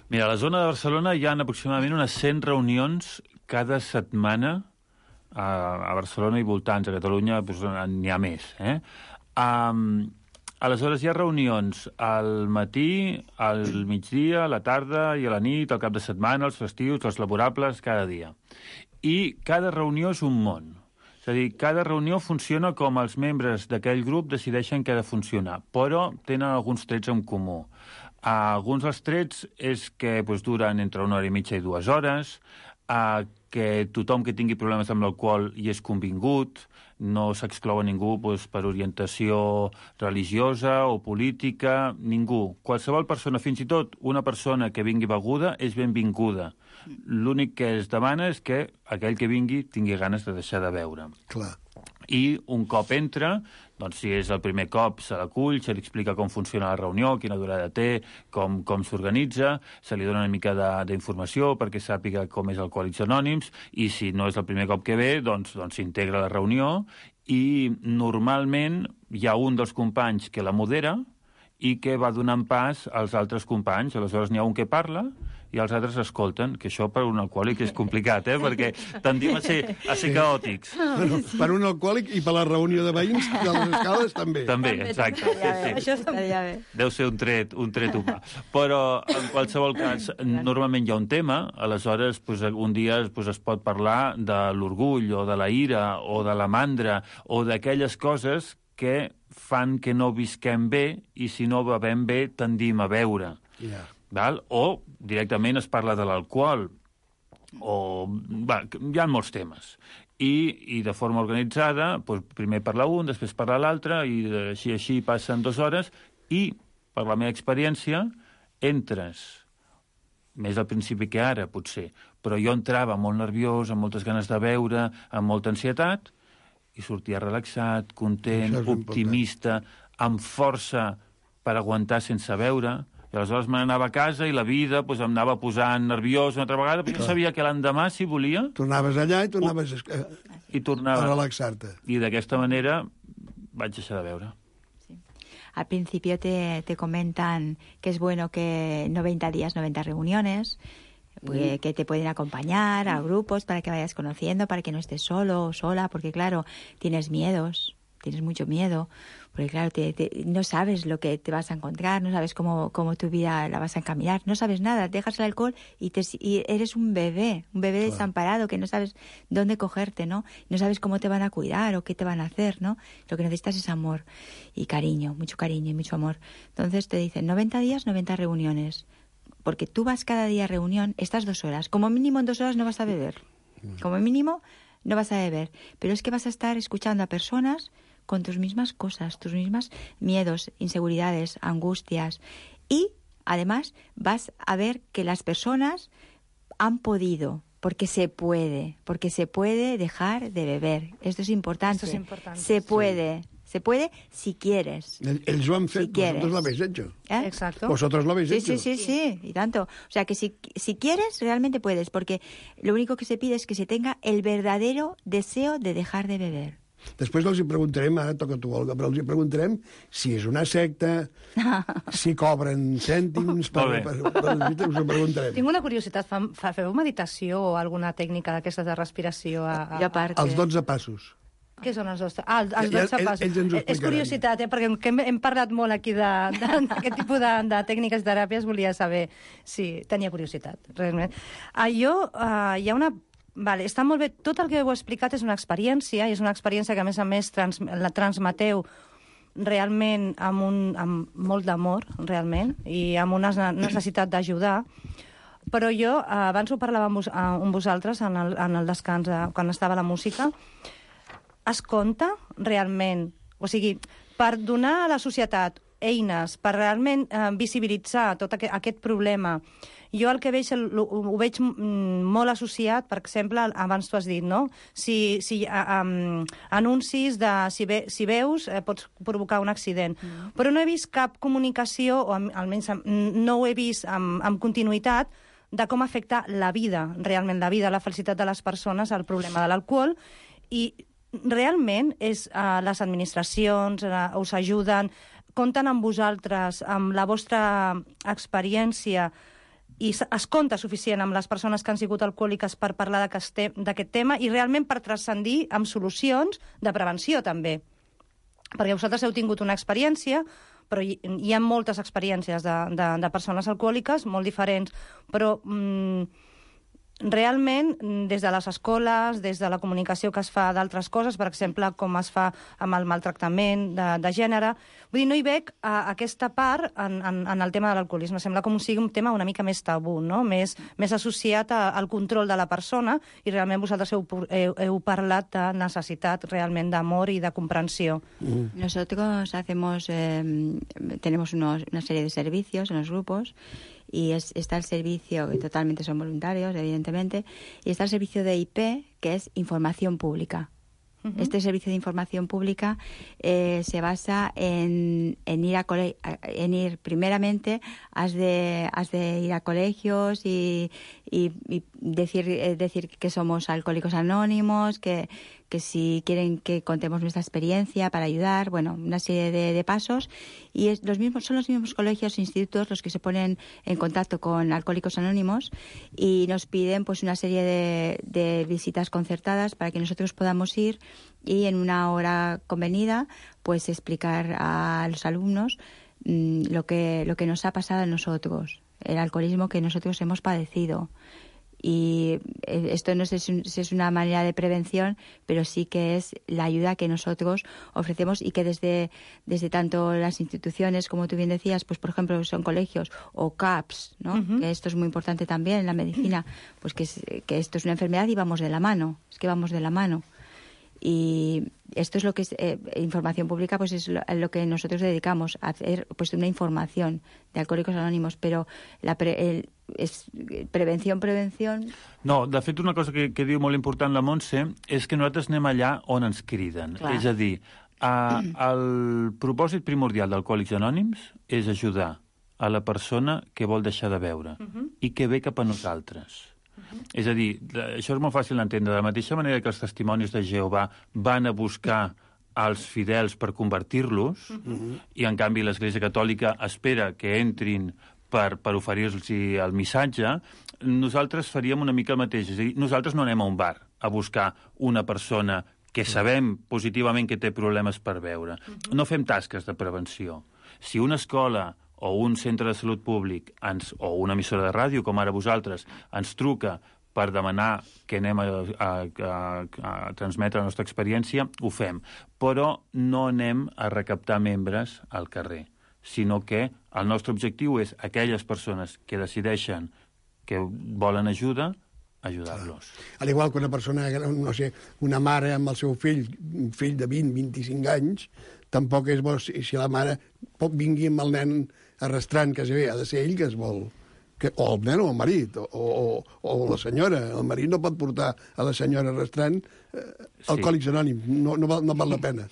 Mira, a la zona de Barcelona hi ha aproximadament unes cent reunions cada setmana a, a Barcelona i voltants. A Catalunya doncs, n'hi ha més. Eh? Um, aleshores hi ha reunions al matí, al migdia, a la tarda i a la nit, al cap de setmana, els festius, els laborables, cada dia. I cada reunió és un món. És a dir, cada reunió funciona com els membres d'aquell grup decideixen què ha de funcionar, però tenen alguns trets en comú. Uh, alguns dels trets és que doncs, duren entre una hora i mitja i dues hores, uh, que tothom que tingui problemes amb l'alcohol hi és convingut, no s'exclou a ningú doncs, per orientació religiosa o política, ningú. Qualsevol persona, fins i tot una persona que vingui beguda, és benvinguda. L'únic que es demana és que aquell que vingui tingui ganes de deixar de beure. Clar. I un cop entra, doncs si és el primer cop, se l'acull, se li explica com funciona la reunió, quina durada té, com, com s'organitza, se li dona una mica d'informació perquè sàpiga com és Alcohòlics Anònims, i si no és el primer cop que ve, doncs, doncs s'integra a la reunió, i normalment hi ha un dels companys que la modera, i que va donant pas als altres companys. Aleshores n'hi ha un que parla i els altres escolten, que això per un alcohòlic és complicat, eh? Perquè tendim a ser, a ser caòtics. Bueno, per un alcohòlic i per la reunió de veïns de les escales també. També, exacte. Sí, sí. Això estaria bé. Deu ser un tret, un tret humà. Però, en qualsevol cas, normalment hi ha un tema, aleshores pues, un dia pues, es pot parlar de l'orgull o de la ira o de la mandra o d'aquelles coses que fan que no visquem bé i si no bevem bé tendim a beure. Yeah. Val? O directament es parla de l'alcohol. O, va, hi ha molts temes. I, i de forma organitzada, doncs, primer parla un, després parla l'altre, i així així passen dues hores, i, per la meva experiència, entres, més al principi que ara, potser, però jo entrava molt nerviós, amb moltes ganes de beure, amb molta ansietat, i sortia relaxat, content, optimista, amb força per aguantar sense beure, i aleshores me n'anava a casa i la vida pues, em anava posant nerviós una altra vegada, però jo sabia que l'endemà, si volia... Tornaves allà i tornaves a, i tornava, a relaxar-te. I d'aquesta manera vaig deixar de beure. Sí. Al principio te, te comentan que es bueno que noventa días, noventa reuniones, pues, que te pueden acompañar a grupos para que vayas conociendo, para que no estés solo o sola, porque claro, tienes miedos, tienes mucho miedo, porque claro, te, te, no sabes lo que te vas a encontrar, no sabes cómo, cómo tu vida la vas a encaminar, no sabes nada, dejas el alcohol y, te, y eres un bebé, un bebé claro. desamparado que no sabes dónde cogerte, ¿no? No sabes cómo te van a cuidar o qué te van a hacer, ¿no? Lo que necesitas es amor y cariño, mucho cariño y mucho amor. Entonces te dicen noventa días, noventa reuniones. Porque tú vas cada día a reunión, estas dos horas. Como mínimo en dos horas no vas a beber. Como mínimo no vas a beber. Pero es que vas a estar escuchando a personas con tus mismas cosas, tus mismas miedos, inseguridades, angustias. Y, además, vas a ver que las personas han podido, porque se puede, porque se puede dejar de beber. Esto es importante. Esto es importante. Se puede. Sí. Se puede si quieres. Ellos lo han hecho, si vosotros lo habéis hecho. ¿Eh? Exacto. Vosotros lo habéis sí, hecho. Sí, sí, sí, y tanto. O sea, que si, si quieres, realmente puedes, porque lo único que se pide es que se tenga el verdadero deseo de dejar de beber. Després els hi preguntarem, ara toca tu, Olga, però els hi preguntarem si és una secta, si cobren cèntims, per, per, per, per, us ho preguntarem. Tinc una curiositat, fa, fa, feu meditació o alguna tècnica d'aquestes de respiració? A, a, jo a part... Els dotze passos. Què són els dotze? Ah, els dotze passos. Ells ens ho explicaran. És curiositat, eh? Perquè hem, hem parlat molt aquí d'aquest tipus de, de tècniques de teràpies, volia saber si tenia curiositat, realment. Ah, jo, uh, hi ha una... Vale, està molt bé. Tot el que heu explicat és una experiència, i és una experiència que, a més a més, trans, la transmeteu realment amb, un, amb molt d'amor, realment, i amb una necessitat d'ajudar. Però jo, abans ho parlava amb, vos, amb vosaltres en el, en el descans, quan estava la música, es compta realment, o sigui, per donar a la societat eines, per realment eh, visibilitzar tot aquest, aquest problema. Jo el que veig, ho, ho veig molt associat, per exemple, abans tu has dit, no? Si, si um, anuncis de si, ve, si veus eh, pots provocar un accident. Mm. Però no he vist cap comunicació, o almenys no ho he vist amb, amb continuïtat, de com afecta la vida, realment la vida, la felicitat de les persones, el problema de l'alcohol, i realment és, uh, les administracions uh, us ajuden, compten amb vosaltres, amb la vostra experiència, i es compta suficient amb les persones que han sigut alcohòliques per parlar d'aquest tema i realment per transcendir amb solucions de prevenció, també. Perquè vosaltres heu tingut una experiència, però hi, hi ha moltes experiències de, de, de persones alcohòliques, molt diferents, però... Mm, realment, des de les escoles, des de la comunicació que es fa d'altres coses, per exemple, com es fa amb el maltractament de, de gènere, vull dir, no hi veig uh, aquesta part en, en, en el tema de l'alcoholisme. Sembla com sigui un tema una mica més tabú, no? Més, més associat a, al control de la persona, i realment vosaltres heu, heu, heu parlat de necessitat realment d'amor i de comprensió. Mm. Nosotros hacemos, eh, tenemos unos, una serie de servicios en los grupos, y es, está el servicio, que totalmente son voluntarios, evidentemente, y está el servicio de I P, que es información pública. Uh-huh. Este servicio de información pública eh, se basa en, en, ir a cole- en ir, primeramente, has de, has de ir a colegios y, y, y decir, eh, decir que somos alcohólicos anónimos, que, que si quieren que contemos nuestra experiencia para ayudar, bueno, una serie de, de pasos. Y es, los mismos, son los mismos colegios e institutos los que se ponen en contacto con Alcohólicos Anónimos y nos piden pues una serie de, de visitas concertadas para que nosotros podamos ir y en una hora convenida pues explicar a los alumnos mmm, lo que, lo que nos ha pasado a nosotros, el alcoholismo que nosotros hemos padecido. Y esto no sé si es una manera de prevención, pero sí que es la ayuda que nosotros ofrecemos y que desde, desde tanto las instituciones, como tú bien decías, pues por ejemplo son colegios o C A P S, ¿no? Uh-huh. Que esto es muy importante también en la medicina, pues que, es, que esto es una enfermedad y vamos de la mano, es que vamos de la mano. Y esto es lo que es eh, información pública, pues es lo, lo que nosotros dedicamos a hacer, pues una información de Alcohòlics Anònims, però la pre, el, és prevenció, prevenció... No, de fet, una cosa que, que diu molt important la Montse és que nosaltres anem allà on ens criden. Clar. És a dir, a, el propòsit primordial d'Alcohòlics Anònims és ajudar a la persona que vol deixar de beure uh-huh. i que ve cap a nosaltres. Uh-huh. És a dir, això és molt fàcil d'entendre. De la mateixa manera que els testimonis de Jehovà van a buscar als fidels per convertir-los, uh-huh. i en canvi l'Església Catòlica espera que entrin per, per oferir-los el missatge, nosaltres faríem una mica el mateix. És a dir, nosaltres no anem a un bar a buscar una persona que sabem positivament que té problemes per beure. Uh-huh. No fem tasques de prevenció. Si una escola o un centre de salut públic ens, o una emissora de ràdio, com ara vosaltres, ens truca per demanar que anem a, a, a, a transmetre la nostra experiència, ho fem. Però no anem a recaptar membres al carrer, sinó que el nostre objectiu és aquelles persones que decideixen que volen ajuda, ajudar-los. Al igual que una persona, no sé, una mare amb el seu fill, un fill de vint, vint-i-cinc anys, tampoc és bo si, si la mare pot vingui amb el nen arrastrant que ha de ser ell que es vol... Que, o el nen o el marit, o, o, o la senyora. El marit no pot portar a la senyora arrastrant eh, Alcohòlics Anònims. No, no, val, no val la pena.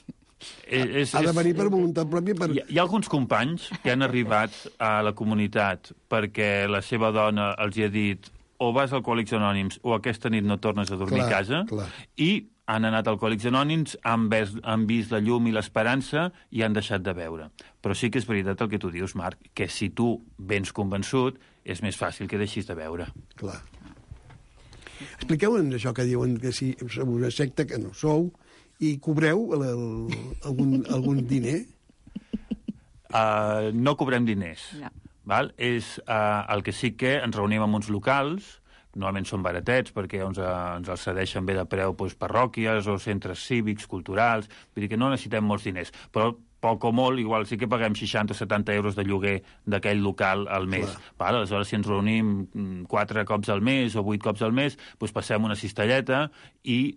És, ha de venir per voluntat pròpia. Per... Hi, hi ha alguns companys que han arribat a la comunitat perquè la seva dona els hi ha dit o vas a Alcohòlics Anònims o aquesta nit no tornes a dormir clar, a casa, clar. I han anat a Alcohòlics Anònims, han vist, han vist la llum i l'esperança i han deixat de beure. Però sí que és veritat el que tu dius, Marc, que si tu vens convençut, és més fàcil que deixis de beure. Clar. Expliqueu-nos això que diuen que si sou una secta, que no sou, i cobreu el, el, algun, algun diner? Uh, no cobrem diners. No. Val? És uh, el que sí que ens reunim en uns locals, normalment són baratets perquè ens, ens els cedeixen bé de preu doncs, parròquies o centres cívics, culturals, vull dir que no necessitem molts diners, però poc o molt, igual sí que paguem seixanta o setanta euros de lloguer d'aquell local al mes. Val? Aleshores, si ens reunim quatre cops al mes o vuit cops al mes, doncs passem una cistelleta i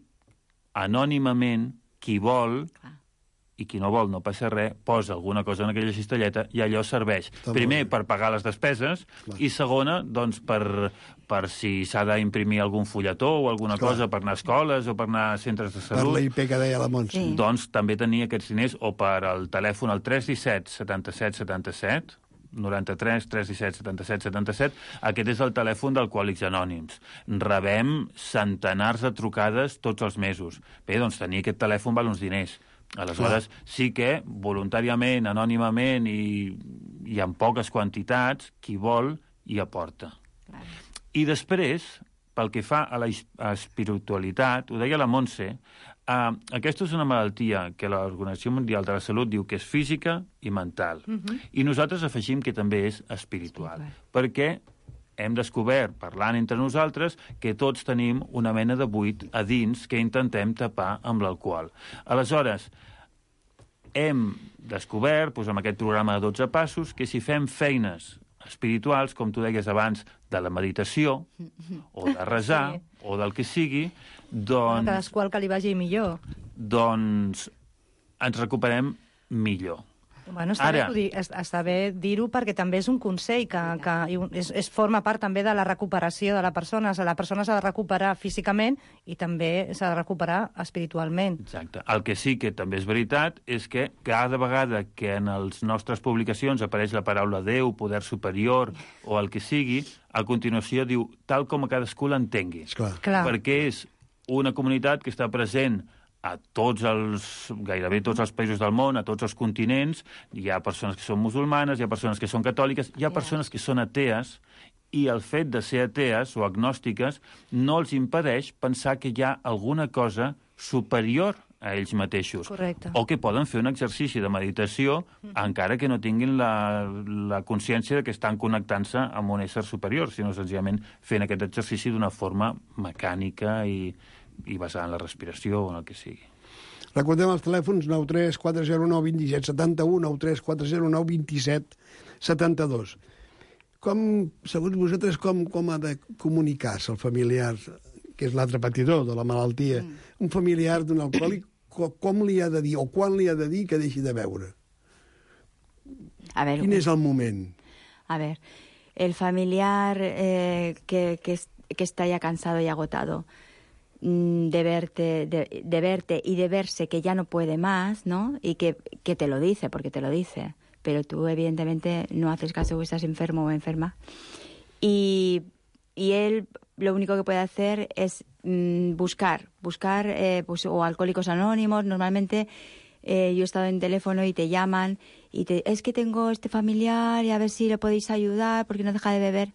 anònimament qui vol... Clar. I qui no vol, no passa res, posa alguna cosa en aquella cistelleta i allò serveix. Està primer, per pagar les despeses, clar. I segona, doncs, per, per si s'ha d'imprimir algun fulletó o alguna clar. Cosa per anar a escoles o per anar a centres de salut. Per la I P que deia la Montse. Sí. Doncs també tenir aquests diners o per al telèfon al tres disset setanta-set setanta-set, noranta-tres tres disset setanta-set setanta-set, aquest és el telèfon d'Alcohòlics Anònims. Rebem centenars de trucades tots els mesos. Bé, doncs tenir aquest telèfon val uns diners. Aleshores, clar. Sí que voluntàriament, anònimament i, i en poques quantitats, qui vol hi aporta. Clar. I després, pel que fa a la espiritualitat, ho deia la Montse, eh, aquesta és una malaltia que l'Organització Mundial de la Salut diu que és física i mental. Uh-huh. I nosaltres afegim que també és espiritual. espiritual. Perquè hem descobert, parlant entre nosaltres, que tots tenim una mena de buit a dins que intentem tapar amb l'alcohol. Aleshores, hem descobert, doncs, amb aquest programa de dotze passos, que si fem feines espirituals, com tu deies abans, de la meditació, o de resar, sí. o del que sigui, doncs... Cadascú que li vagi millor. Doncs ens recuperem millor. Bueno, està, Ara, bé, està bé dir-ho perquè també és un consell que, que és, és forma part també de la recuperació de la persona. La persona s'ha de recuperar físicament i també s'ha de recuperar espiritualment. Exacte. El que sí que també és veritat és que cada vegada que en les nostres publicacions apareix la paraula Déu, poder superior o el que sigui, a continuació diu tal com a cadascú l'entengui. Clar. Clar. Perquè és una comunitat que està present a tots els, gairebé tots els països del món, a tots els continents, hi ha persones que són musulmanes, hi ha persones que són catòliques, hi ha persones que són atees, i el fet de ser atees o agnòstiques no els impedeix pensar que hi ha alguna cosa superior a ells mateixos. Correcte. O que poden fer un exercici de meditació encara que no tinguin la, la consciència de que estan connectant-se amb un ésser superior, sinó senzillament fent aquest exercici d'una forma mecànica i, i basada en la respiració o en el que sigui. Recordem els telèfons nou tres quatre zero nou dos set set u, nou tres quatre zero nou dos set set dos. Com, segons vosaltres, com, com ha de comunicar-se el familiar, que és l'altre patidor de la malaltia, mm. un familiar d'un alcohòlic, com, com li ha de dir, o quan li ha de dir que deixi de beure? A ver, Quin és el moment? A ver, el familiar eh, que, que, que está ya cansado y agotado mm, de verte, de, de verte y de verse que ya no puede más, ¿no? Y que, que te lo dice, porque te lo dice, pero tú evidentemente no haces caso o estás enfermo o enferma. Y, y él lo único que puede hacer es mmm, buscar, buscar eh, pues, o Alcohólicos Anónimos. Normalmente eh, yo he estado en teléfono y te llaman y te, es que tengo este familiar y a ver si le podéis ayudar porque no deja de beber.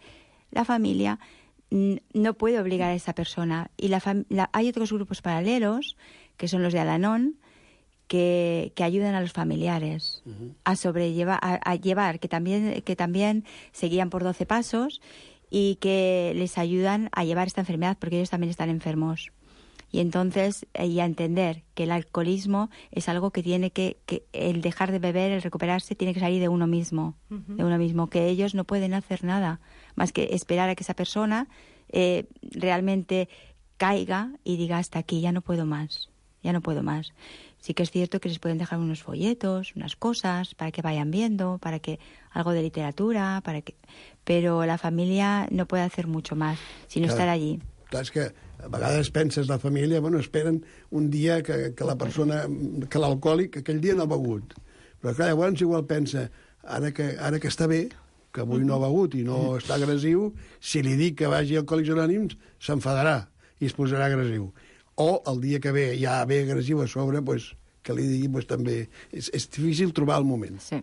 La familia mmm, no puede obligar a esa persona. Y la, fam la hay otros grupos paralelos, que son los de Al-Anon, que, que ayudan a los familiares uh-huh. a sobrellevar, a, a llevar, que también, que también se guían por doce pasos y que les ayudan a llevar esta enfermedad porque ellos también están enfermos. Y entonces, y a entender que el alcoholismo es algo que tiene que, que el dejar de beber, el recuperarse, tiene que salir de uno mismo, uh-huh. de uno mismo, que ellos no pueden hacer nada más que esperar a que esa persona eh, realmente caiga y diga hasta aquí, ya no puedo más, ya no puedo más. Sí que es cierto que les pueden dejar unos folletos, unas cosas, para que vayan viendo, para que algo de literatura, para que, pero la familia no puede hacer mucho más, sino clar, estar allí. Clar, és que a vegades penses la família, bueno, esperen un dia que, que la persona, que l'alcohòlic, aquell dia no ha begut. Però clar, llavors igual pensa, ara que, ara que està bé, que avui no ha begut i no està agressiu, si li dic que vagi a Alcohòlics Anònims, s'enfadarà i es posarà agressiu. O el dia que ve ja ve agressiu a sobre, pues, que li digui pues, també... És, és difícil trobar el moment. Sí.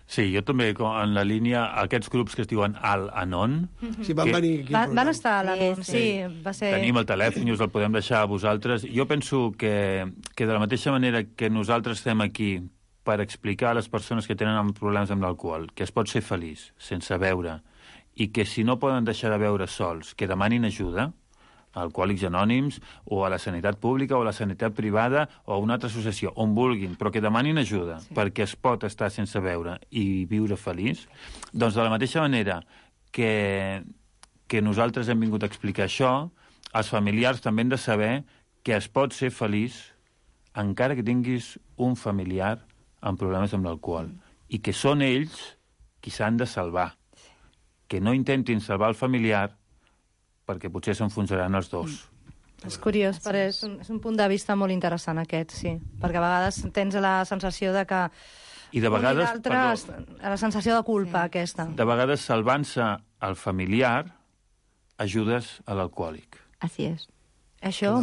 Sí, jo també, en la línia, aquests grups que es diuen Al-Anon... Sí, van que... venir aquí. Va, van estar a l'Anon, sí, sí, sí, va ser... Tenim el telèfon i us el podem deixar a vosaltres. Jo penso que, que de la mateixa manera que nosaltres estem aquí per explicar a les persones que tenen problemes amb l'alcohol que es pot ser feliç sense beure i que si no poden deixar de beure sols, que demanin ajuda, a Alcohòlics Anònims o a la sanitat pública o a la sanitat privada o a una altra associació, on vulguin, però que demanin ajuda sí. perquè es pot estar sense beure i viure feliç, doncs de la mateixa manera que, que nosaltres hem vingut a explicar això, els familiars també han de saber que es pot ser feliç encara que tinguis un familiar amb problemes amb l'alcohol mm. i que són ells qui s'han de salvar. Que no intentin salvar el familiar perquè potser s'enfonsaran els dos. Mm. És curiós, però és un, és un punt de vista molt interessant aquest, sí. Perquè a vegades tens la sensació de que... I de vegades... Un i l'altre, la sensació de culpa, sí. aquesta. De vegades, salvant-se el familiar, ajudes a l'alcohòlic. Así es. Això,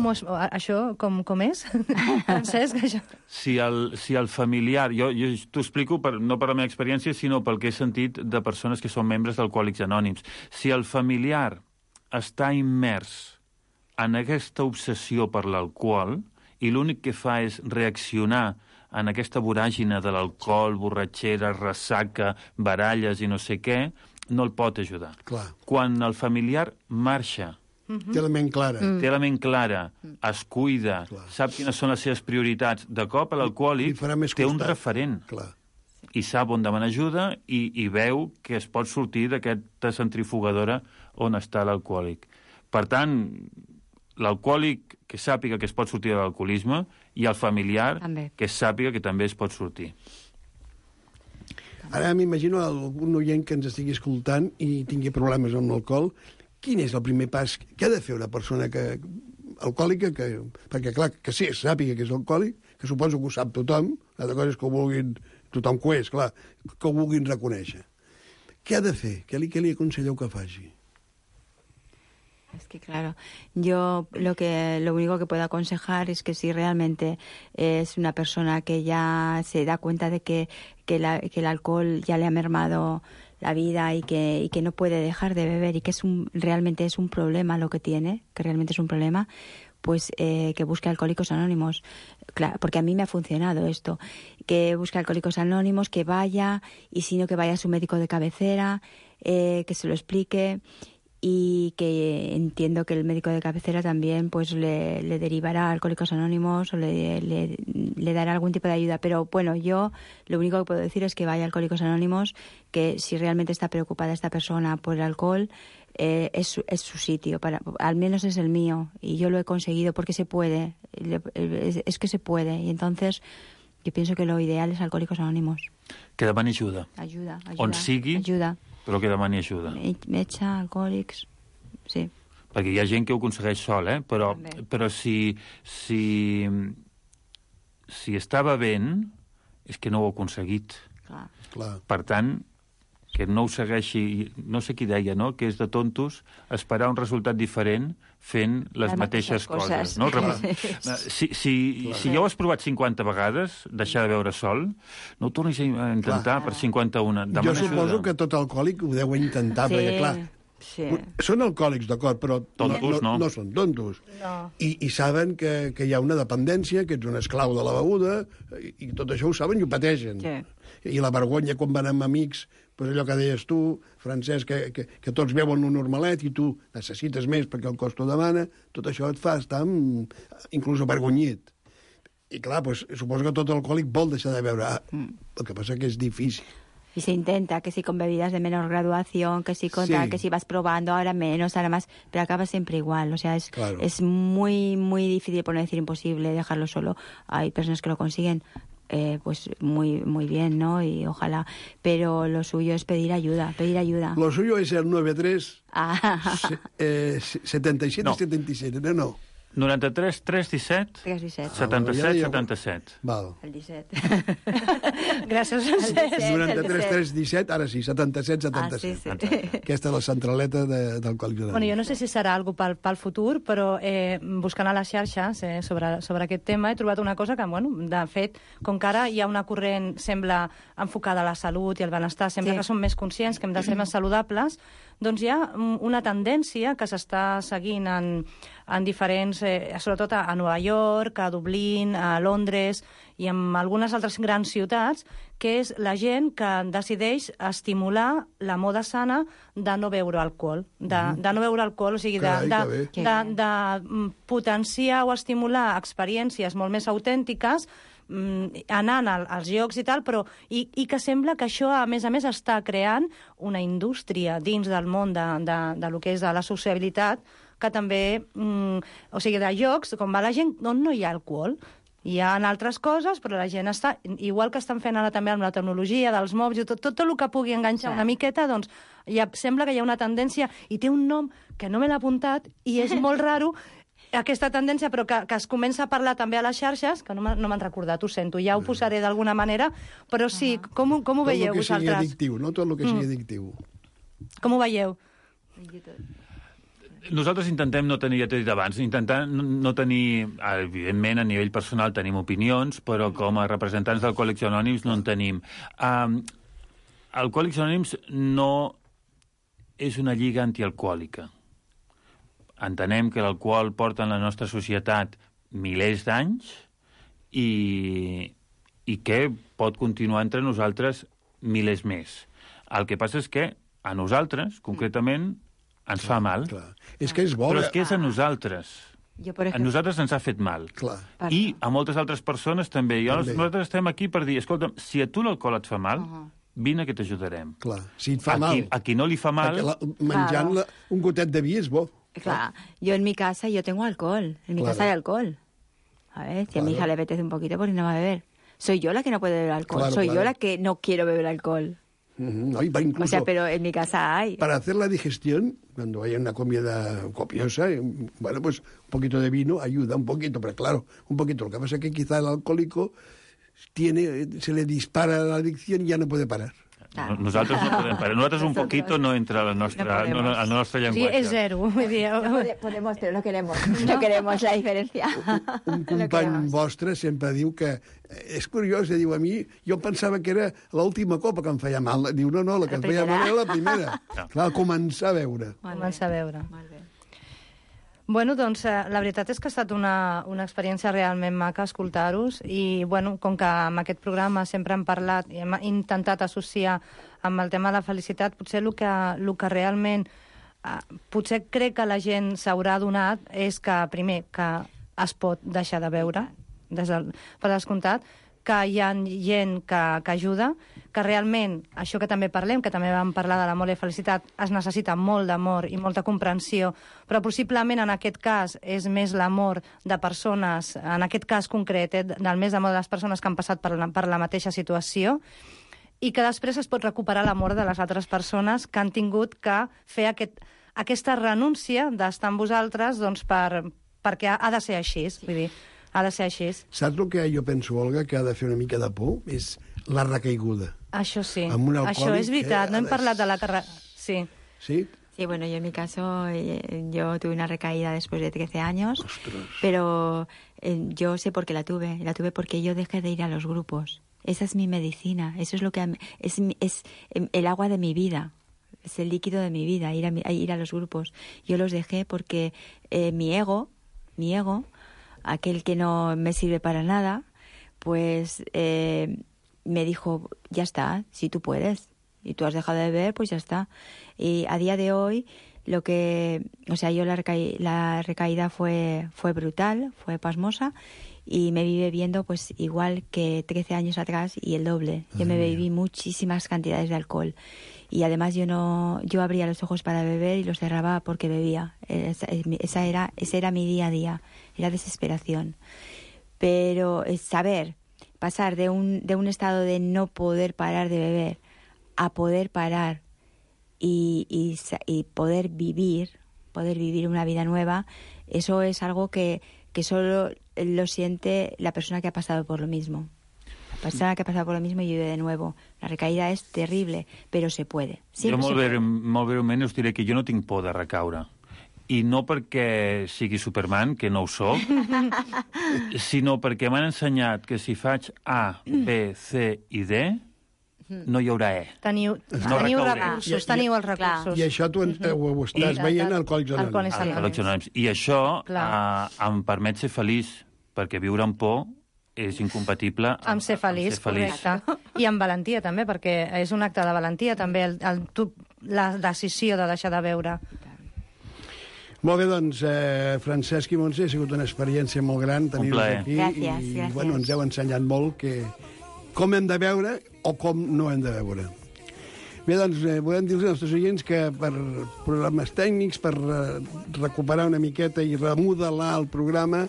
això com, com és? Francesc, això... Si el, si el familiar... Jo, jo t'ho explico per, no per la meva experiència, sinó pel que he sentit de persones que són membres d'Alcohòlics Anònims. Si el familiar està immers en aquesta obsessió per l'alcohol i l'únic que fa és reaccionar en aquesta voràgina de l'alcohol, borratxera, ressaca, baralles i no sé què, no el pot ajudar. Clar. Quan el familiar marxa, mm-hmm. té la ment clara, mm. té la ment clara, es cuida, clar. Sap quines són les seves prioritats, de cop l'alcohòlic té un referent. Clar. I sap on demanar ajuda i, i veu que es pot sortir d'aquesta centrifugadora on està l'alcohòlic. Per tant, l'alcohòlic que sàpiga que es pot sortir de l'alcoholisme i el familiar també. Que sàpiga que també es pot sortir. Ara m'imagino algun oient que ens estigui escoltant i tingui problemes amb l'alcohol. Quin és el primer pas que ha de fer una persona que, alcohòlica? Que, perquè, clar, que sí, sàpiga que és alcohòlic, que suposo que ho sap tothom, l'altra cosa és que ho vulguin, tothom que ho és, clar, que ho vulguin reconèixer. Què ha de fer? Què li, què li aconselleu que faci? Es que claro, yo lo que lo único que puedo aconsejar es que si realmente es una persona que ya se da cuenta de que, que, la, que el alcohol ya le ha mermado la vida y que, y que no puede dejar de beber y que es un, realmente es un problema lo que tiene, que realmente es un problema, pues eh, que busque Alcohólicos Anónimos. Claro, porque a mí me ha funcionado esto, que busque Alcohólicos Anónimos, que vaya, y si no, que vaya a su médico de cabecera, eh, que se lo explique, y que entiendo que el médico de cabecera también pues le, le derivará a Alcohólicos Anónimos o le, le, le dará algún tipo de ayuda. Pero bueno, yo lo único que puedo decir es que vaya a Alcohólicos Anónimos, que si realmente está preocupada esta persona por el alcohol, eh, es, su, es su sitio, para, al menos es el mío, y yo lo he conseguido porque se puede, es, es que se puede, y entonces yo pienso que lo ideal es Alcohólicos Anónimos. Que demani ajuda. Ajuda, ajuda. On sigui, ajuda. però que demani ajuda. Metge, alcohòlics, sí. Perquè hi ha gent que ho aconsegueix sol, eh? Però, però si, si, si està bevent, és que no ho ha aconseguit. Clar. Clar. Per tant, que no ho segueixi... No sé qui deia, no?, que és de tontos esperar un resultat diferent fent les, les mateixes, mateixes coses. No? Si, si, si ja ho has provat cinquanta vegades, deixar de beure sol, no ho tornis a intentar clar. Per cinquanta-una. Jo suposo que tot alcohòlic ho deu intentar, sí. perquè, clar, sí. són alcohòlics, d'acord, però tontos, no, no. no són tontos. No. I, I saben que, que hi ha una dependència, que ets un esclau de la beguda, i, i tot això ho saben i ho pateixen. Sí. I la vergonya quan van amb amics, pues allò que deies tu, Francesc, que, que, que tots beuen un normalet i tu necessites més perquè el cos t'ho demana, tot això et fa estar amb, inclús avergonyit. I clar, pues, suposo que tot alcohòlic vol deixar de beure. Ah, el que passa que és difícil. Y se intenta, que si con bebidas de menor graduación, que si con sí. tal, que si vas probando, ahora menos, ahora más, pero acaba siempre igual. O sea, es, claro. es muy, muy difícil, por no decir imposible, dejarlo solo. Hay personas que lo consiguen eh, pues muy, muy bien, ¿no? Y ojalá, pero lo suyo es pedir ayuda, pedir ayuda. Lo suyo es el nueve tres ah. eh, setenta y siete no. setenta y siete, no, no. noranta-tres tres disset setanta-set setanta-set. Val. El disset. Gràcies, Francesc. noranta-tres tres disset, ara sí, setanta-set setanta-set. Ah, sí, sí. Aquesta és la centraleta de, del Còlic Anònims. Bueno, jo no sé si serà alguna pel, pel futur, però eh, buscant a les xarxes eh, sobre, sobre aquest tema he trobat una cosa que, bueno, de fet, com que ara hi ha una corrent, sembla, enfocada a la salut i al benestar, sembla sí. que som més conscients que hem de ser més saludables, doncs hi ha una tendència que s'està seguint en, en diferents, eh, sobretot a, a Nova York, a Dublín, a Londres i en algunes altres grans ciutats, que és la gent que decideix estimular la moda sana de no beure alcohol. De, mm. de no beure alcohol, o sigui, de, Carai, de, de, de, de potenciar o estimular experiències molt més autèntiques anant als llocs i tal, però i, i que sembla que això, a més a més, està creant una indústria dins del món de, de, de lo que és de la sociabilitat, que també, mm, o sigui, de llocs, com va la gent, on no hi ha alcohol. Hi ha altres coses, però la gent està... Igual que estan fent ara també amb la tecnologia dels mòbils, tot, tot, tot el que pugui enganxar sí. una miqueta, doncs ja, sembla que hi ha una tendència, i té un nom que no me l'ha apuntat, i és molt raro, aquesta tendència, però que, que es comença a parlar també a les xarxes, que no me'n recordat, ho sento, ja ho posaré d'alguna manera, però sí, com, com ho veieu vosaltres? Tot el que sigui addictiu, no? Tot el que sigui addictiu. Com ho veieu? Nosaltres intentem no tenir, ja t'he dit abans, intentar no tenir, evidentment, a nivell personal tenim opinions, però com a representants d'Alcohòlics Anònims no en tenim. Um, Alcohòlics Anònims no és una lliga antialcohòlica. Entenem que l'alcohol porta en la nostra societat milers d'anys i, i que pot continuar entre nosaltres milers més. El que passa és que a nosaltres, concretament, ens clar, fa mal. Clar. És que és bo. Però és que és a nosaltres. Jo, per exemple... A nosaltres ens ha fet mal. Clar. I a moltes altres persones també. I també. Nosaltres estem aquí per dir, escolta, si a tu l'alcohol et fa mal, uh -huh. vine que t'ajudarem. Clar, si et fa a mal. Qui, a qui no li fa mal... La, menjant la, un gotet de vi és bo. Claro, yo en mi casa yo tengo alcohol, en mi claro. casa hay alcohol. A ver, si claro. a mi hija le apetece un poquito, pues no va a beber. Soy yo la que no puede beber alcohol, claro, soy claro. yo la que no quiero beber alcohol. Uh-huh. Ay, va incluso, o sea, pero en mi casa hay. Para hacer la digestión, cuando haya una comida copiosa, bueno, pues un poquito de vino ayuda un poquito, pero claro, un poquito. Lo que pasa es que quizá el alcohólico tiene, se le dispara la adicción y ya no puede parar. No, nosaltres no podem parar. Nosaltres un poquito no entra a la nostra, no, no, al nostre Sí, llenguatge. és zero. Vull dir, Pode- Podemos, pero no queremos. No queremos la diferencia. Un No company queremos. vostre sempre diu que... És curiós, eh, diu, a mi jo pensava que era l'última copa que em feia mal. Diu, no, no, la que La em feia mal primera. era la primera. No. Clar, començar a veure. Molt bé. començar a veure. Molt bé. Bueno, doncs eh, la veritat és que ha estat una, una experiència realment maca escoltar-vos i, bueno, com que amb aquest programa sempre hem parlat i hem intentat associar amb el tema de la felicitat, potser el que, el que realment eh, potser crec que la gent s'haurà adonat és que, primer, que es pot deixar de veure, des del, per descomptat, que hi ha gent que, que ajuda, que realment, això que també parlem, que també vam parlar de l'amor i felicitat, es necessita molt d'amor i molta comprensió, però possiblement en aquest cas és més l'amor de persones, en aquest cas concret, eh, del més d'amor de les persones que han passat per la, per la mateixa situació, i que després es pot recuperar l'amor de les altres persones que han tingut que fer aquest, aquesta renúncia d'estar amb vosaltres doncs, per, perquè ha, ha de ser així, vull dir, ha de ser així. Saps el que jo penso, Olga, que ha de fer una mica de por? És la recaiguda. Això sí, Amb un alcohòlic això és veritat, que no ha hem de- parlat de la carrera... Sí. Sí? Sí, bueno, yo en mi caso, eh, yo tuve una recaída después de trece años, Ostras. pero eh, yo sé por qué la tuve. La tuve porque yo dejé de ir a los grupos. Esa es mi medicina, eso es lo que a mí- es, mi- es em, el agua de mi vida. Es el líquido de mi vida, ir a, mi- a ir a los grupos. Yo los dejé porque eh, mi ego, mi ego, aquel que no me sirve para nada, pues eh, me dijo, ya está, si tú puedes, y tú has dejado de beber, pues ya está. Y a día de hoy, lo que, o sea, yo la, recaí- la recaída fue, fue brutal, fue pasmosa, y me vi bebiendo pues igual que trece años atrás y el doble. Yo me bebí muchísimas cantidades de alcohol. Y además yo no, yo abría los ojos para beber y los cerraba porque bebía. Esa, esa era, ese era mi día a día, era desesperación. Pero es saber pasar de un, de un estado de no poder parar de beber a poder parar y, y, sa- y poder vivir, poder vivir una vida nueva, eso es algo que, que solo lo siente la persona que ha pasado por lo mismo. La persona que ha pasado por lo mismo y vive de nuevo. La recaída és terrible, però se puede. Jo Siempre molt, se bé, puede. molt breument us diré que jo no tinc por de recaure. I no perquè sigui Superman, que no ho soc, sinó perquè m'han ensenyat que si faig A, B, C i D, no hi haurà E. Teniu, No teniu recauré. recursos, I- i- teniu els Clar. recursos. I això tu en, eh, ho, ho estàs I- veient al Alcohòlics Alcohòlics Anònims. Anònims. Anònims. I això Clar. eh, em permet ser feliç, perquè viure amb por és incompatible Amb ser feliç, amb ser feliç. correcte. I amb valentia, també, perquè és un acte de valentia, també, el, el, tu, la decisió de deixar de beure. Molt bé, doncs, eh, Francesc i Montse, ha sigut una experiència molt gran tenir-vos plaer. aquí. Gràcies, i, gràcies. Bueno, ens heu ensenyat molt que com hem de veure o com no hem de veure. Bé, doncs, eh, volem dir als nostres oients que per problemes tècnics, per eh, recuperar una miqueta i remodelar el programa,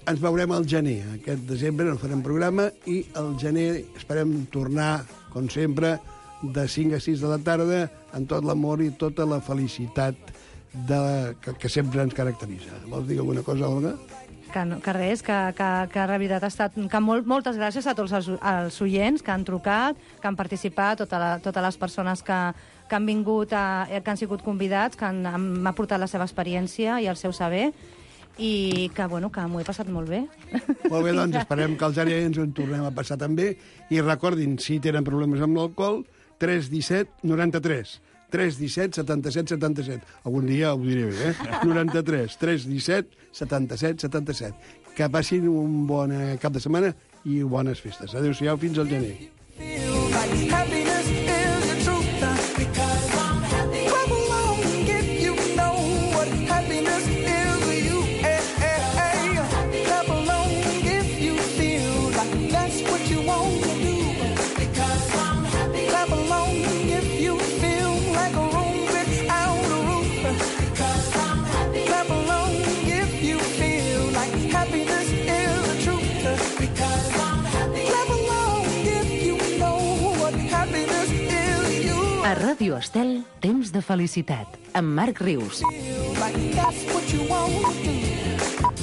ens veurem al gener. Aquest desembre no farem programa i al gener esperem tornar, com sempre, de cinc a sis de la tarda, amb tot l'amor i tota la felicitat de, que, que sempre ens caracteritza. Vols dir alguna cosa, Olga? Que, no, que res, que, que, que la veritat ha estat... Que molt, moltes gràcies a tots els, els oients que han trucat, que han participat, tota la, totes les persones que, que han vingut, a, que han sigut convidats, que han, han aportat la seva experiència i el seu saber, i que, bueno, que m'ho he passat molt bé. Molt bé, doncs esperem que els gener ens ho en tornem a passar també. I recordin, si tenen problemes amb l'alcohol, tres disset noranta-tres. tres disset setanta-set setanta-set. Algun dia ho diré bé, eh? noranta-tres, tres disset setanta-set setanta-set. Que passin un bon eh, cap de setmana i bones festes. Adéu-siau, fins al gener. Happiness is the truth, because I'm happy. Clap along if you know what happiness is to you. Hey, hey, hey. Clap along if you feel like that's what you want to do. Because I'm happy. Clap along if you feel like a room without a roof. Because I'm happy. Clap along if you feel like happiness is the truth. Because I'm happy. Clap along if you know what happiness is you. A Ràdio Estel, temps de felicitat, amb Marc Rius. Feel like that's what you want to do.